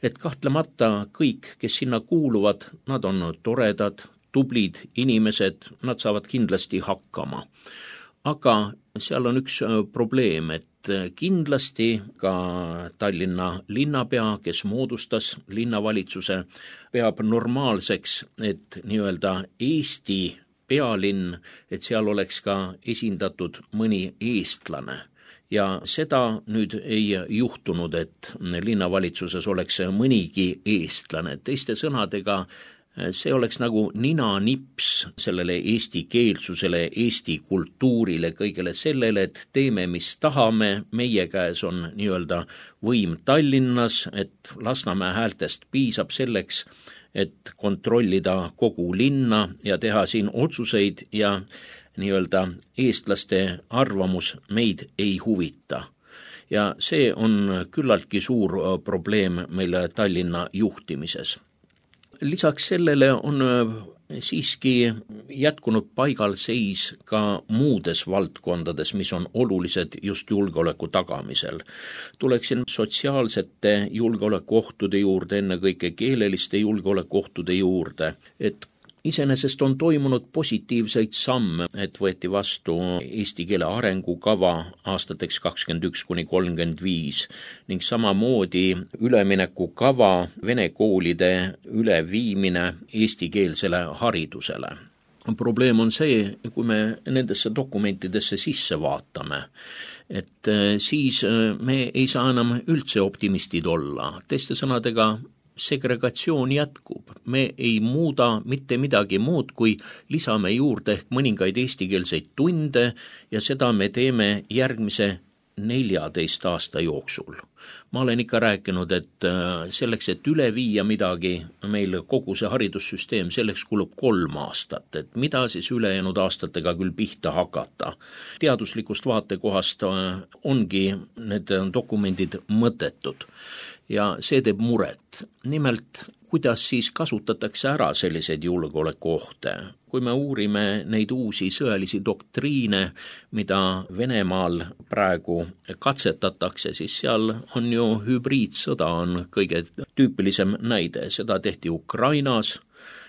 Et kahtlemata kõik, kes sinna kuuluvad, nad on toredad, tublid inimesed, nad saavad kindlasti hakkama. Aga seal on üks probleem, et kindlasti ka Tallinna linnapea, kes moodustas linnavalitsuse, peab normaalseks, et nii-öelda Eesti pealinn, et seal oleks ka esindatud mõni eestlane. Ja seda nüüd ei juhtunud, et linnavalitsuses oleks mõnigi eestlane. Teiste sõnadega, see oleks nagu nina-nips sellele eesti keelsusele, eesti kultuurile, kõigele sellele, et teeme, mis tahame, meie käes on nii-öelda võim Tallinnas, et Lasnamäe häältest piisab selleks, et kontrollida kogu linna ja teha siin otsuseid ja nii-öelda eestlaste arvamus meid ei huvita. Ja see on küllaltki suur probleem meil Tallinna juhtimises. Lisaks sellele on siiski jätkunud paigalseis ka muudes valdkondades, mis on olulised just julgeoleku tagamisel. Tuleksin sotsiaalsete julgeolekuohtude juurde, ennekõike keeleliste julgeolekuohtude juurde, et iseenesest on toimunud positiivseid samme, et võeti vastu eesti keele arengukava aastateks kakskümmend üks kuni kolmkümmend viis ning samamoodi üleminekukava vene koolide üleviimine eestikeelsele haridusele. Probleem on see, kui me nendesse dokumentidesse sisse vaatame, et siis me ei saa enam üldse optimistid olla. Teiste sõnadega, segregatsioon jätkub. Me ei muuda mitte midagi muud, kui lisame juurde ehk mõningaid eestikeelseid tunde ja seda me teeme järgmise neljateist aasta jooksul. Ma olen ikka rääkinud, et selleks, et üle viia midagi, meil kogu see haridussüsteem, selleks kulub kolm aastat, et mida siis ülejäänud aastatega küll pihta hakata. Teaduslikust vaatekohast ongi need dokumendid mõttetud. Ja see teeb muret. Nimelt, kuidas siis kasutatakse ära selliseid julgeolekuohte? Kui me uurime neid uusi sõjalisi doktriine, mida Venemaal praegu katsetatakse, siis seal on ju hübriidsõda on kõige tüüpilisem näide. Seda tehti Ukrainas.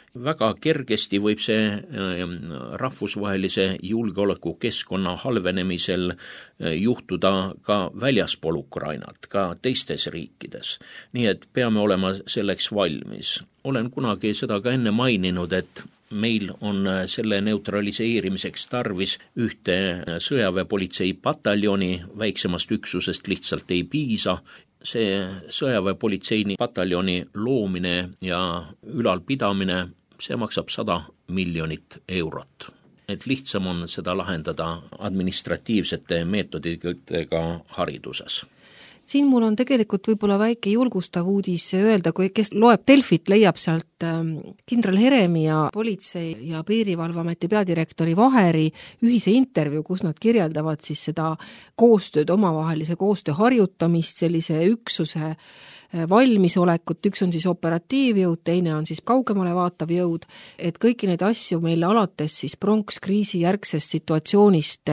Väga kergesti võib see rahvusvahelise julgeolekukeskkonna halvenemisel juhtuda ka väljaspool Ukrainat, ka teistes riikides. Nii et peame olema selleks valmis. Olen kunagi seda ka enne maininud, et meil on selle neutraliseerimiseks tarvis ühte sõjaväepolitsei pataljoni, väiksemast üksusest lihtsalt ei piisa. See sõjaväepolitseini pataljoni loomine ja ülalpidamine, see maksab sada miljonit eurot. Et lihtsam on seda lahendada administratiivsete meetoditega hariduses. Siin mul on tegelikult võib-olla väike julgustav uudis öelda, kui kes loeb Delfit, leiab sealt kindral Heremi ja politsei ja piirivalveameti peadirektori Vaheri ühise intervjuu, kus nad kirjeldavad siis seda koostööd, omavahelise koostöö harjutamist, sellise üksuse valmisolekut, üks on siis operatiivjõud, teine on siis kaugemale vaatav jõud, et kõiki neid asju meile alates siis pronkskriisi järgsest situatsioonist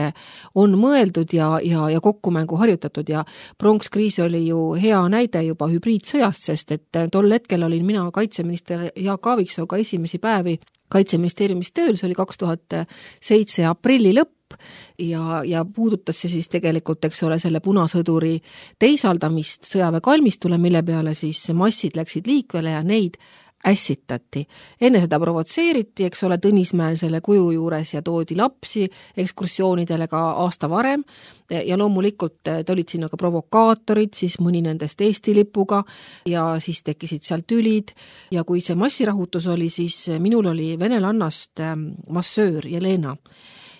on mõeldud ja, ja, ja kokkumängu harjutatud ja pronkskriis oli ju hea näide juba hübriidsõjast, sest et tol hetkel olin mina kaitseminister Jaak Aaviksooga esimesi päevi Kaitseministeeriumis tööl, see oli kaks tuhat seitse aprilli lõpp, ja, ja puudutas see siis tegelikult, eks ole, selle punasõduri teisaldamist sõjaväekalmistule, mille peale siis massid läksid liikvele ja neid ässitati. Enne seda provotseeriti, eks ole, Tõnismäel selle kuju juures ja toodi lapsi ekskursioonidele ka aasta varem ja loomulikult olid sinna ka provokaatorid, siis mõni nendest Eesti lipuga ja siis tekkisid sealt tülid ja kui see massirahutus oli, siis minul oli venelannast massöör Jelena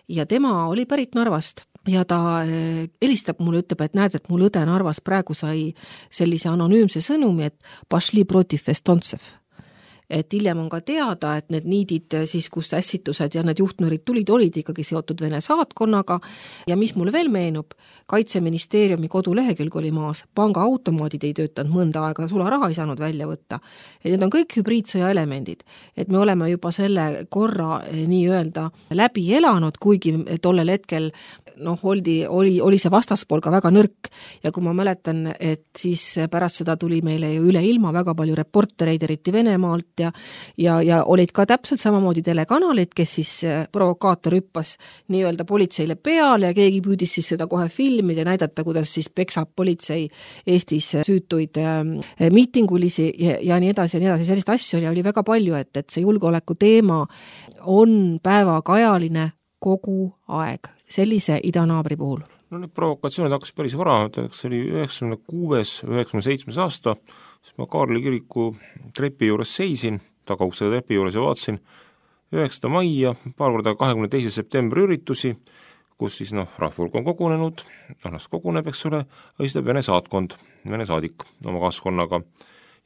ja tema oli pärit Narvast ja ta helistab mulle, ütleb, et näed, et mul õde Narvas praegu sai sellise anonüümse sõnumi, et pašli protiv Estontsev. Et hiljem on ka teada, et need niidid siis, kus ässitused ja need juhtnöörid tulid, olid ikkagi seotud Vene saatkonnaga ja mis mulle veel meenub, Kaitseministeeriumi kodulehekülg oli maas, panga automaadid ei töötanud mõnda aega, sularaha ei saanud välja võtta. Et need on kõik hübriidsõja elemendid, et me oleme juba selle korra nii-öelda läbi elanud, kuigi tollel hetkel noh, oli, oli, oli see vastaspool ka väga nõrk ja kui ma mäletan, et siis pärast seda tuli meile ju üle ilma väga palju reportereid, eriti Venemaalt ja, ja, ja olid ka täpselt samamoodi telekanalid, kes siis provokaator hüppas nii-öelda politseile peale ja keegi püüdis siis seda kohe filmida ja näidata, kuidas siis peksab politsei Eestis süütuid äh, miitingulisi ja, ja nii edasi ja nii edasi, sellist asju oli, oli väga palju, et, et see julgeoleku teema on päevakajaline kogu aeg sellise idanaabri puhul. No need provokatsioonid hakkas päris vara, see oli üheksakümne kuues, üheksakümne seitsmes aasta, siis ma Kaarli kiriku trepi juures seisin, tagaukse trepi juures ja vaatasin üheksanda mai ja paar korda kahekümne teise septembri üritusi, kus siis noh, rahvulk on kogunenud, las koguneb, eks ole, õistab Vene saatkond, Vene saadik oma kaaskonnaga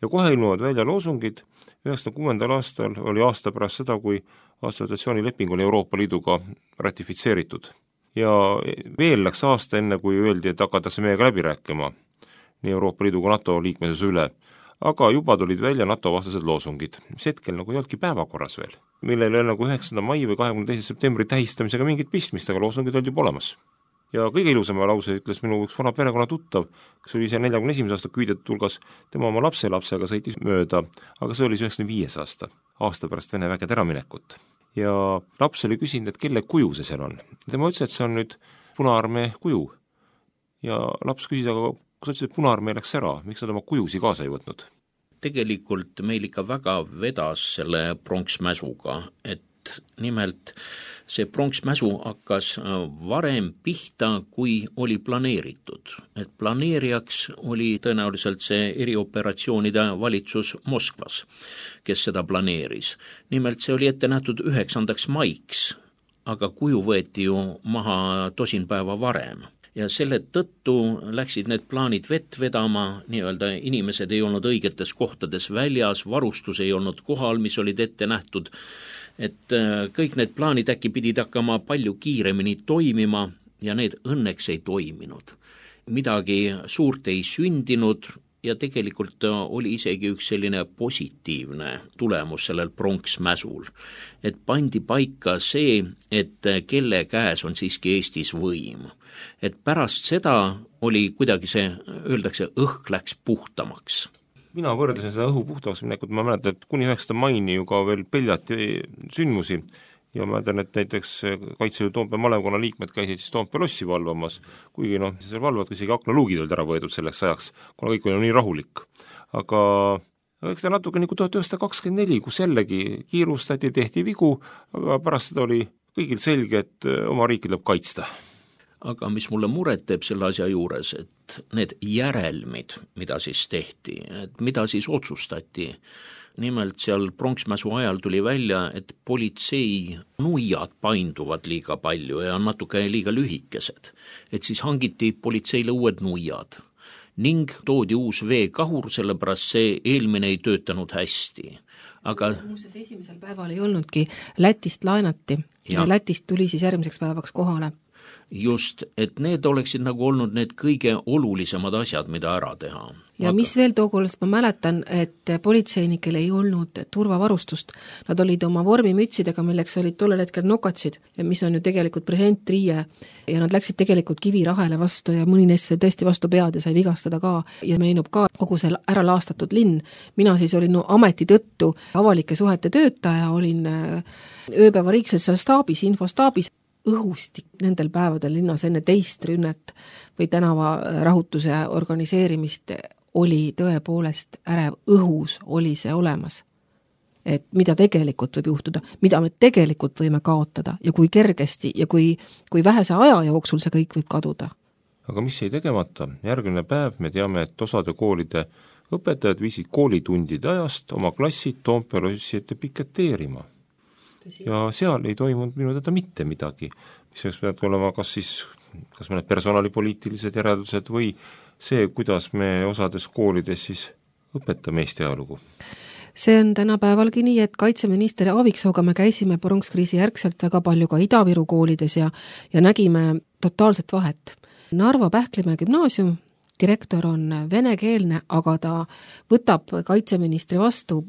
ja kohe ilmuvad välja loosungid. üheksakümne kuuendal aastal oli aasta pärast seda, kui assotsiatsioonileping oli Euroopa Liiduga ratifitseeritud. Ja veel läks aasta enne, kui öeldi, et hakatakse meiega läbi rääkima nii Euroopa Liiduga NATO liikmesuse üle. Aga juba tulid välja NATO vastased loosungid, mis hetkel nagu ei olnudki päevakorras veel, millel ei ole nagu üheksanda mai või kahekümne teise septembri tähistamisega mingit pistmist, aga loosungid olid juba olemas. Ja kõige ilusama lause ütles minu üks vana perekonna tuttav, kes oli ise neljakümne esimese aasta küüdet tulgas, tema oma lapse lapsega sõitis mööda, aga see oli üheksakümne viies aasta, aasta pärast Vene vägede äraminekut. Ja laps oli küsinud, et kelle kuju see seal on. Tema ütles, et see on nüüd Punaarmee kuju. Ja laps küsis, aga kus ütles, et Punaarmee läks ära, miks nad oma kujusi kaasa ei võtnud? Tegelikult meil ikka väga vedas selle pronksmäsuga, et nimelt see pronksmäsu hakkas varem pihta, kui oli planeeritud. Et planeerijaks oli tõenäoliselt see erioperatsioonide valitsus Moskvas, kes seda planeeris. Nimelt see oli ette nähtud üheksandaks maiks, aga kuju võeti ju maha tosin päeva varem. Ja selle tõttu läksid need plaanid vett vedama, nii-öelda inimesed ei olnud õigetes kohtades väljas, varustus ei olnud kohal, mis olid ette nähtud, et kõik need plaanid äkki pidid hakkama palju kiiremini toimima ja need õnneks ei toiminud. Midagi suurt ei sündinud ja tegelikult oli isegi üks selline positiivne tulemus sellel pronksmäsul, et pandi paika see, et kelle käes on siiski Eestis võim. Et pärast seda oli kuidagi see, öeldakse, õhk läks puhtamaks. Mina võrdlesin seda õhu puhtaks minekut, ma mäletan, et kuni üheksanda maini ju ka veel peljati sündmusi ja ma mäletan, et näiteks Kaitseliidu Toompea malevkonna liikmed käisid siis Toompea lossi valvamas, kuigi noh, seal valvad isegi aknaluugid olid ära võetud selleks ajaks, kuna kõik oli nii rahulik. Aga eks ta natuke nagu tuhat üheksasada kakskümmend neli, kus jällegi kiirustati, tehti vigu, aga pärast seda oli kõigil selge, et oma riiki tuleb kaitsta. Aga mis mulle muret teeb selle asja juures, et need järelmid, mida siis tehti, et mida siis otsustati, nimelt seal pronksmäsu ajal tuli välja, et politsei nuiad painduvad liiga palju ja natuke liiga lühikesed, et siis hangiti politseile uued nuiad ning toodi uus veekahur, sellepärast see eelmine ei töötanud hästi. aga muuseas esimesel päeval ei olnudki, Lätist laenati ja, ja Lätist tuli siis järgmiseks päevaks kohale. Just, et need oleksid nagu olnud need kõige olulisemad asjad, mida ära teha. Ja aga... mis veel tookollast ma mäletan, et politseinikel ei olnud turvavarustust. Nad olid oma vormimütsidega, milleks olid tollel hetkel nokatsid, mis on ju tegelikult presentriie, ja nad läksid tegelikult kivirahele vastu ja mõni neist sai tõesti vastu pead ja sai vigastada ka. Ja meenub ka kogu see ära laastatud linn. Mina siis olin no, ameti tõttu avalike suhete töötaja, olin ööpäevariikselt seal staabis, infostaabis. Õhustik nendel päevadel linnas enne teist rünnet või tänava rahutuse organiseerimist oli tõepoolest ärev, õhus oli see olemas. Et mida tegelikult võib juhtuda, mida me tegelikult võime kaotada ja kui kergesti ja kui, kui vähese aja jooksul see kõik võib kaduda. Aga mis jäi tegemata? Järgmine päev me teame, et osade koolide õpetajad viisid koolitundide ajast oma klassid Toompea lossi ette piketeerima. Ja seal ei toimunud minu teada mitte midagi, mis oleks peab olema kas siis, kas mõned personalipoliitilised järeldused või see, kuidas me osades koolides siis õpetame Eesti ajalugu. See on tänapäevalgi nii, et kaitseminister Aaviksooga me käisime pronskriisi järgselt väga palju ka Ida-Viru koolides ja, ja nägime totaalset vahet. Narva Pähklimäe gümnaasium direktor on venekeelne, aga ta võtab kaitseministri vastu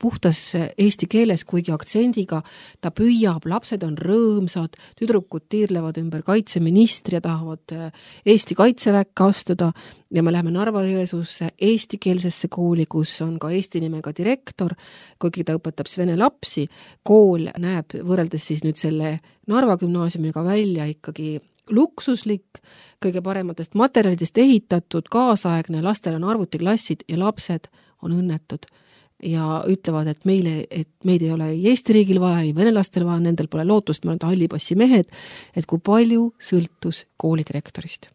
puhtas eesti keeles, kuigi aktsendiga, ta püüab, lapsed on rõõmsad, tüdrukud tiirlevad ümber kaitseministri ja tahavad Eesti kaitseväkke astuda ja me läheme Narva-Jõesuusse eestikeelsesse kooli, kus on ka eesti nimega direktor, kuigi ta õpetab vene lapsi. Kool näeb võrreldes siis nüüd selle Narva gümnaasiumiga välja ikkagi luksuslik, kõige parematest materjalidest ehitatud, kaasaegne, lastel on arvutiklassid ja lapsed on õnnetud ja ütlevad, et meile, et meid ei ole ei Eesti riigil vaja, ei venelastel vaja, nendel pole lootust, me oleme hallipassi mehed, et kui palju sõltus koolidirektorist.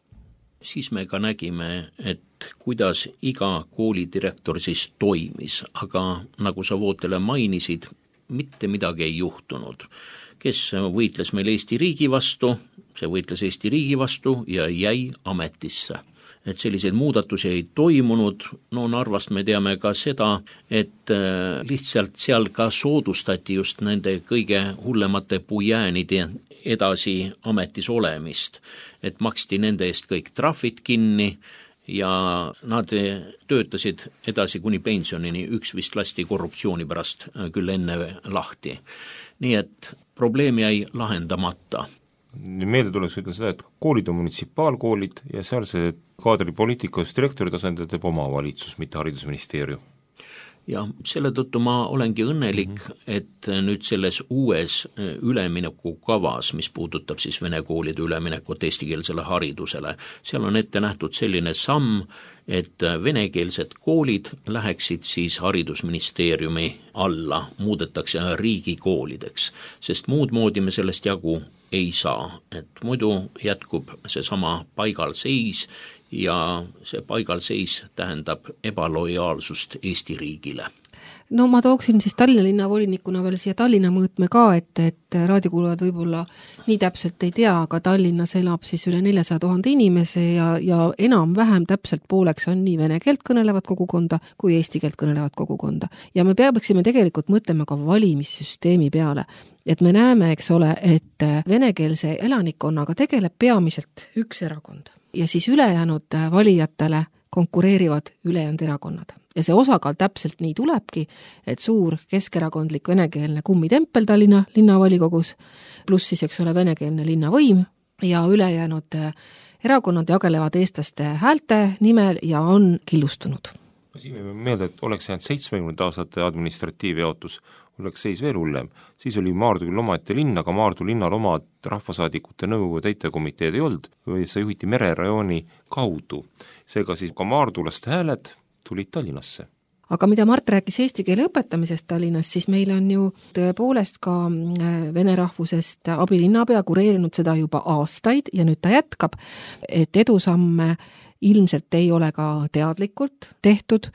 Siis me ka nägime, et kuidas iga koolidirektor siis toimis, aga nagu sa Vootele mainisid, mitte midagi ei juhtunud. Kes võitles meil Eesti riigi vastu, see võitles Eesti riigi vastu ja jäi ametisse. Et selliseid muudatusi ei toimunud, no Narvast me teame ka seda, et lihtsalt seal ka soodustati just nende kõige hullemate pujäänide edasi ametis olemist, et maksti nende eest kõik trahvid kinni ja nad töötasid edasi kuni pensionini, üks vist lasti korruptsiooni pärast küll enne lahti. Nii et probleem jäi lahendamata. Meelde tuleks ütelda seda, et koolid on munitsipaalkoolid ja seal see kaadripoliitikas direktori tasandil teeb omavalitsus, mitte haridusministeerium. Ja selle tõttu ma olengi õnnelik, mm-hmm. et nüüd selles uues ülemineku kavas, mis puudutab siis vene koolide üleminekut eestikeelsele haridusele, seal on ette nähtud selline samm, et venekeelsed koolid läheksid siis haridusministeeriumi alla, muudetakse riigikoolideks, sest muud moodi me sellest jagu ei saa, et muidu jätkub see sama paigalseis ja see paigalseis tähendab ebalojaalsust Eesti riigile. No ma tooksin siis Tallinna linnavolinikuna veel siia Tallinna mõõtme ka, et, et raadiokuulajad võib-olla nii täpselt ei tea, aga Tallinnas elab siis üle neljasaja tuhande inimese ja, ja enam-vähem täpselt pooleks on nii vene keelt kõnelevat kogukonda kui eesti keelt kõnelevat kogukonda. Ja me peaksime tegelikult mõtlema ka valimissüsteemi peale, et me näeme, eks ole, et venekeelse elanikkonnaga tegeleb peamiselt üks erakond ja siis ülejäänud valijatele konkureerivad ülejäänud erakonnad. Ja see osakaal täpselt nii tulebki, et suur keskerakondlik venekeelne kummitempel Tallinna linnavolikogus, pluss siis, eks ole, venekeelne linnavõim ja ülejäänud erakonnad jagelevad eestlaste häälte nimel ja on killustunud. Siin me meelde, et oleks jäänud seitsmekümnenda aastate administratiivjaotus, oleks seis veel hullem. Siis oli Maardu küll omaette linn, aga Maardu linnal oma rahvasaadikute nõukogu täitekomiteed ei olnud, või see juhiti mererajooni kaudu. Seega siis ka maardulaste hääled tulid Tallinnasse. Aga mida Mart rääkis eesti keele õpetamisest Tallinnas, siis meil on ju tõepoolest ka vene rahvusest abilinnapea kureerinud seda juba aastaid ja nüüd ta jätkab, et edusamme ilmselt ei ole ka teadlikult tehtud,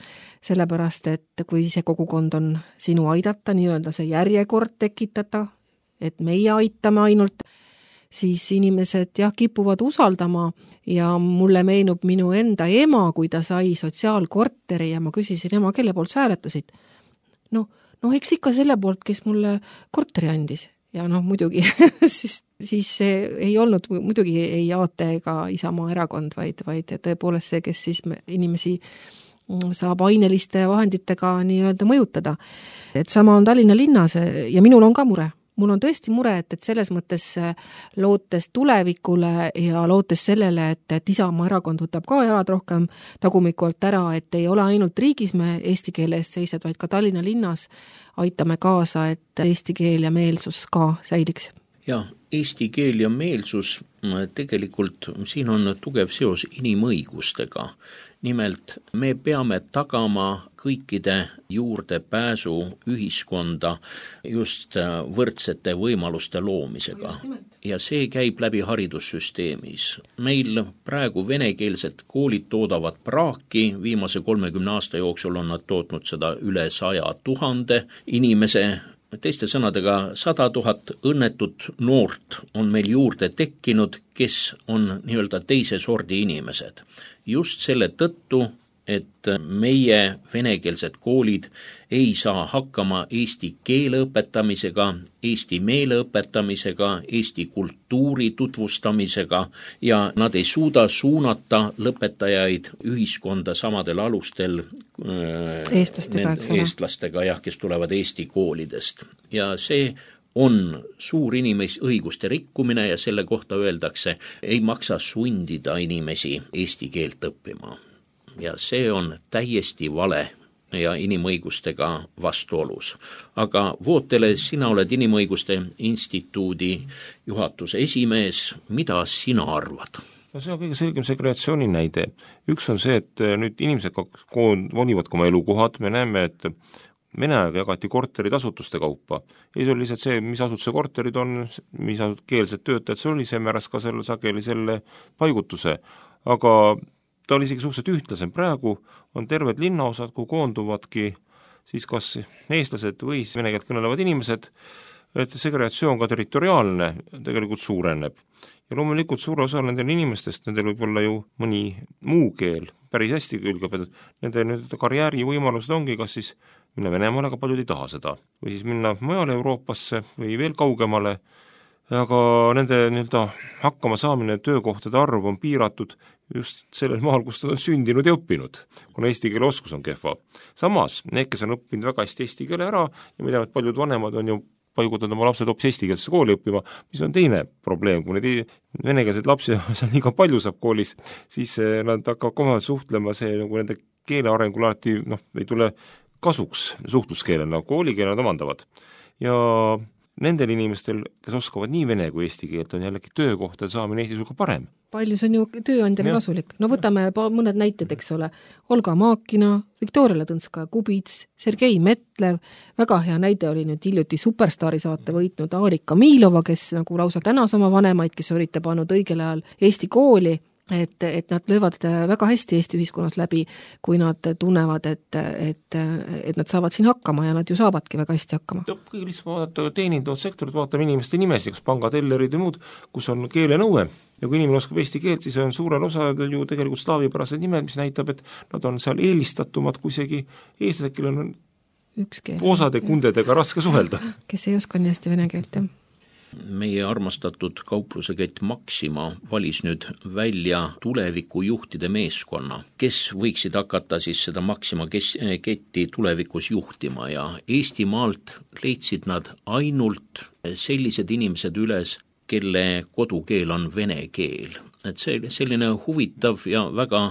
sellepärast et kui see kogukond on sinu aidata, nii-öelda see järjekord tekitada, et meie aitame ainult, siis inimesed jah, kipuvad usaldama ja mulle meenub minu enda ema, kui ta sai sotsiaalkorteri ja ma küsisin ema, kelle poolt sa hääletasid? No, no eks ikka selle poolt, kes mulle korteri andis. Ja noh, muidugi siis, siis see ei olnud, muidugi ei Aate ega Isamaa erakond, vaid, vaid tõepoolest see, kes siis inimesi saab aineliste vahenditega nii-öelda mõjutada. Et sama on Tallinna linnas ja minul on ka mure. Mul on tõesti mure, et, et selles mõttes lootes tulevikule ja lootes sellele, et, et Isamaa erakond võtab ka jalad rohkem tagumikult ära, et ei ole ainult riigis me eesti keele eest seised, vaid ka Tallinna linnas aitame kaasa, et eesti keel ja meelsus ka säiliks. Ja eesti keel ja meelsus tegelikult siin on tugev seos inimõigustega. Nimelt me peame tagama kõikide juurdepääsu ühiskonda just võrdsete võimaluste loomisega. Ja see käib läbi haridussüsteemis. Meil praegu venekeelset koolid toodavad praaki, viimase kolmekümne aasta jooksul on nad tootnud seda üle saja tuhande inimese. Teiste sõnadega sada tuhat õnnetut noort on meil juurde tekkinud, kes on nii-öelda teise sordi inimesed. Just selle tõttu, et meie venekeelsed koolid ei saa hakkama eesti keele õpetamisega, eesti meele õpetamisega, eesti kultuuri tutvustamisega ja nad ei suuda suunata lõpetajaid ühiskonda samadel alustel eestlastega, need, eestlastega jah, kes tulevad eesti koolidest. Ja see on suur inimõiguste rikkumine ja selle kohta öeldakse, ei maksa sundida inimesi eesti keelt õppima. Ja see on täiesti vale ja inimõigustega vastuolus. Aga Vootele, sina oled Inimõiguste Instituudi juhatuse esimees, mida sina arvad? No see on kõige selgem segregatsiooni näide. Üks on see, et nüüd inimesed valivad oma elukohad, me näeme, et Vene aega jagati korterid asutuste kaupa. Ja see oli lihtsalt see, mis asutuse korterid on, mis keelsed töötajad see oli, see määras ka selle sageli selle paigutuse. Aga ta oli isegi suhteliselt ühtlasem. Praegu on terved linnaosad, kuhu koonduvadki siis kas eestlased või vene keelt kõnelevad inimesed, et segregatsioon ka territoriaalne tegelikult suureneb. Ja loomulikult suure osa nendel inimestest, nendel võib olla ju mõni muu keel, päris hästi külgab, et nende nüüd karjääri võimalused ongi kas siis minna Venemaale, aga paljud ei taha seda, või siis minna mujale Euroopasse või veel kaugemale, aga nende nii-öelda hakkama saamine töökohtade arv on piiratud just sellel maal, kus nad on sündinud ja õppinud, kuna eesti keele oskus on kehva. Samas, need, kes on õppinud väga hästi eesti keele ära ja mida paljud vanemad on ju paigutanud oma lapsed hoopis eestikeelsesse kooli õppima, mis on teine probleem, kui need venekeelseid lapsi seal liiga palju saab koolis, siis nad hakkavad kohe suhtlema, see nagu nende keele arengul alati noh, ei tule kasuks suhtluskeelena, koolikeele nad omandavad. Ja nendel inimestel, kes oskavad nii vene kui eesti keelt, on jällegi töökohtade saamine Eestis ka parem. Palju see on ju tööandjale kasulik. No võtame mõned näited, eks ole. Olga Maakina, Viktoria Ladõnskaja-Kubits, Sergei Metlev, väga hea näide oli nüüd hiljuti Superstaari saate võitnud Aarika Miilova, kes nagu lausa tänas oma vanemaid, kes olite pannud õigel ajal Eesti kooli, et, et nad löövad väga hästi Eesti ühiskonnas läbi, kui nad tunnevad, et, et, et nad saavad siin hakkama ja nad ju saavadki väga hästi hakkama. Kõige lihtsalt vaadata teenindavad sektorid, vaatame inimeste nimesi, kas pangad, ellerid ja muud, kus on keelenõue. Ja kui inimene oskab eesti keelt, siis on suurel osadel ju tegelikult slaavipärased nimed, mis näitab, et nad on seal eelistatumad, kui isegi eestlased, kellel on osade kundedega raske suhelda. Kes ei oska nii hästi vene keelt, jah. Meie armastatud kauplusekett Maxima valis nüüd välja tuleviku juhtide meeskonna, kes võiksid hakata siis seda Maxima ketti tulevikus juhtima ja Eestimaalt leidsid nad ainult sellised inimesed üles, kelle kodukeel on vene keel. Et see selline huvitav ja väga,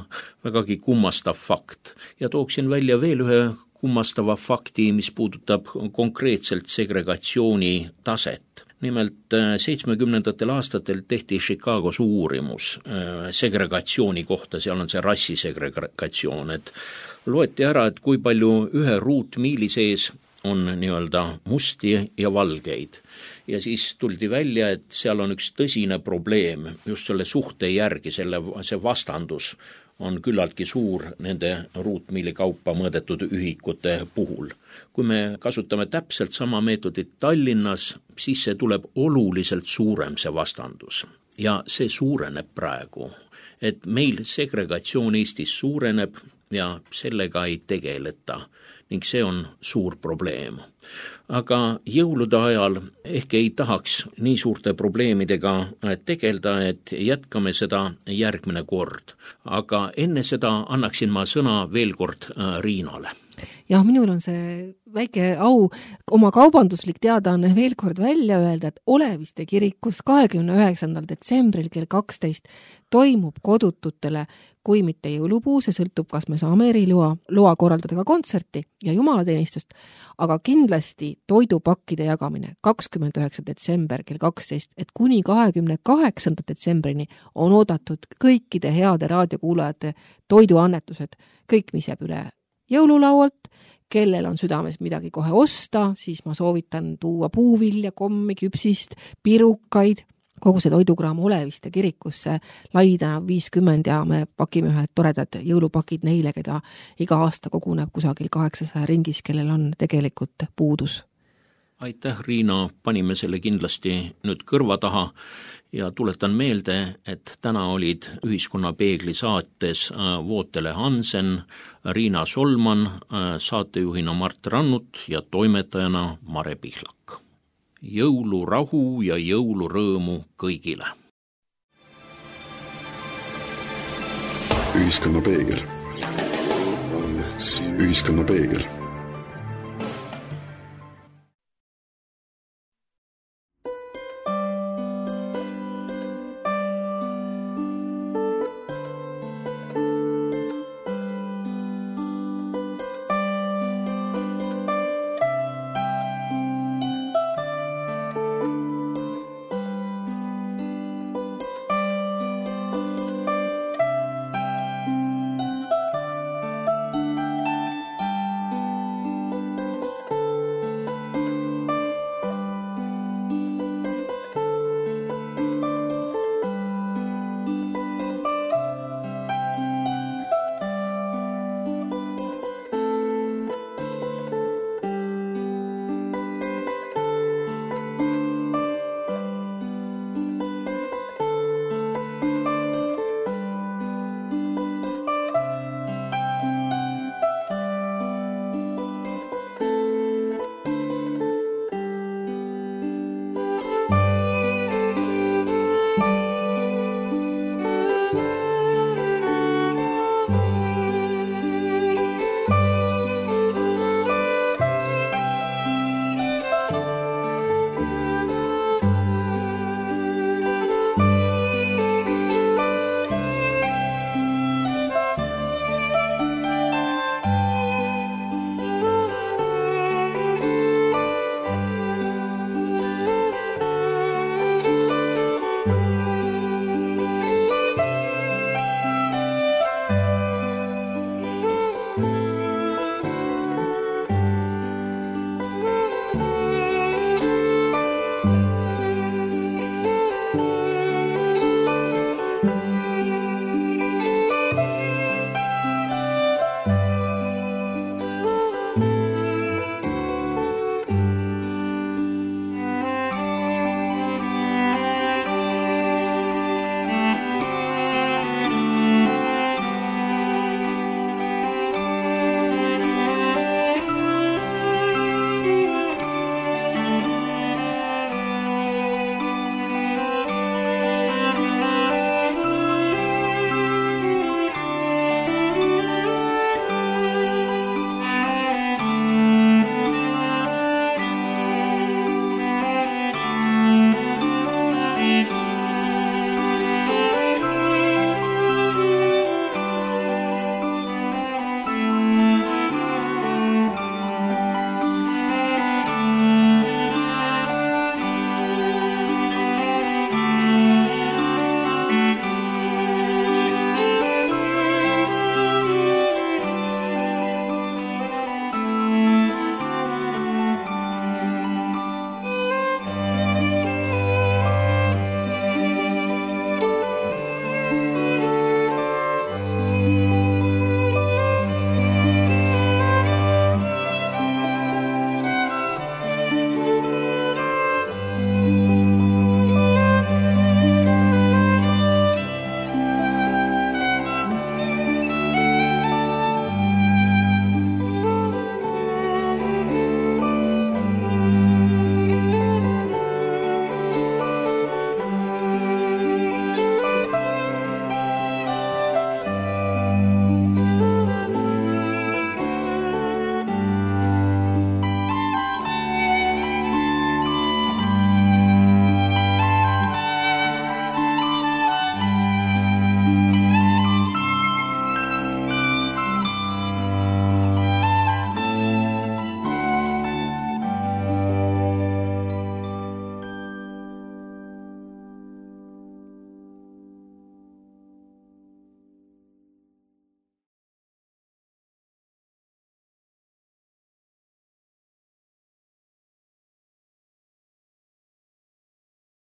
vägagi kummastav fakt. Ja tooksin välja veel ühe kummastava fakti, mis puudutab konkreetselt segregatsiooni taset. Nimelt seitsmekümnendatel aastatel tehti Chicagos uurimus segregatsiooni kohta, seal on see rassisegregatsioon, et loeti ära, et kui palju ühe ruutmiili sees on nii-öelda musti ja valgeid. Ja siis tuldi välja, et seal on üks tõsine probleem just selle suhte järgi, selle, see vastandus on küllaltki suur nende ruutmiili kaupa mõõdetud ühikute puhul. Kui me kasutame täpselt sama meetodit Tallinnas, siis see tuleb oluliselt suurem see vastandus. Ja see suureneb praegu, et meil segregatsioon Eestis suureneb ja sellega ei tegeleta. ning see on suur probleem. Aga jõulude ajal ehk ei tahaks nii suurte probleemidega tegelda, et jätkame seda järgmine kord. Aga enne seda annaksin ma sõna veel kord Riinale. Jah, minul on see väike au oma kaubanduslik teadaanne veel kord välja öelda, et Oleviste kirikus kahekümne üheksandal detsembril kell kaksteist toimub kodututele, kui mitte jõulupuu, see sõltub, kas me saame eriloa loa korraldada ka kontserti ja jumalateenistust, aga kindlasti toidupakkide jagamine kakskümmend üheksa detsember kell kaksteist, et kuni kahekümne kaheksanda detsembrini on oodatud kõikide heade raadiokuulajate toiduannetused, kõik, mis jääb üle jõululaualt, kellel on südames midagi kohe osta, siis ma soovitan tuua puuvilja, kommi, küpsist, pirukaid, kogu see toidukraam Oleviste kirikusse Laitänav viiskümmend ja me pakime ühed toredad jõulupakid neile, keda iga aasta koguneb kusagil kaheksasaja ringis, kellel on tegelikult puudus. Aitäh, Riina, panime selle kindlasti nüüd kõrva taha ja tuletan meelde, et täna olid Ühiskonnapeegli saates Vootele Hansen, Riina Solman, saatejuhina Mart Rannut ja toimetajana Mare Pihlak. Jõulurahu ja jõulurõõmu kõigile! Ühiskonnapeegel. Ühiskonnapeegel.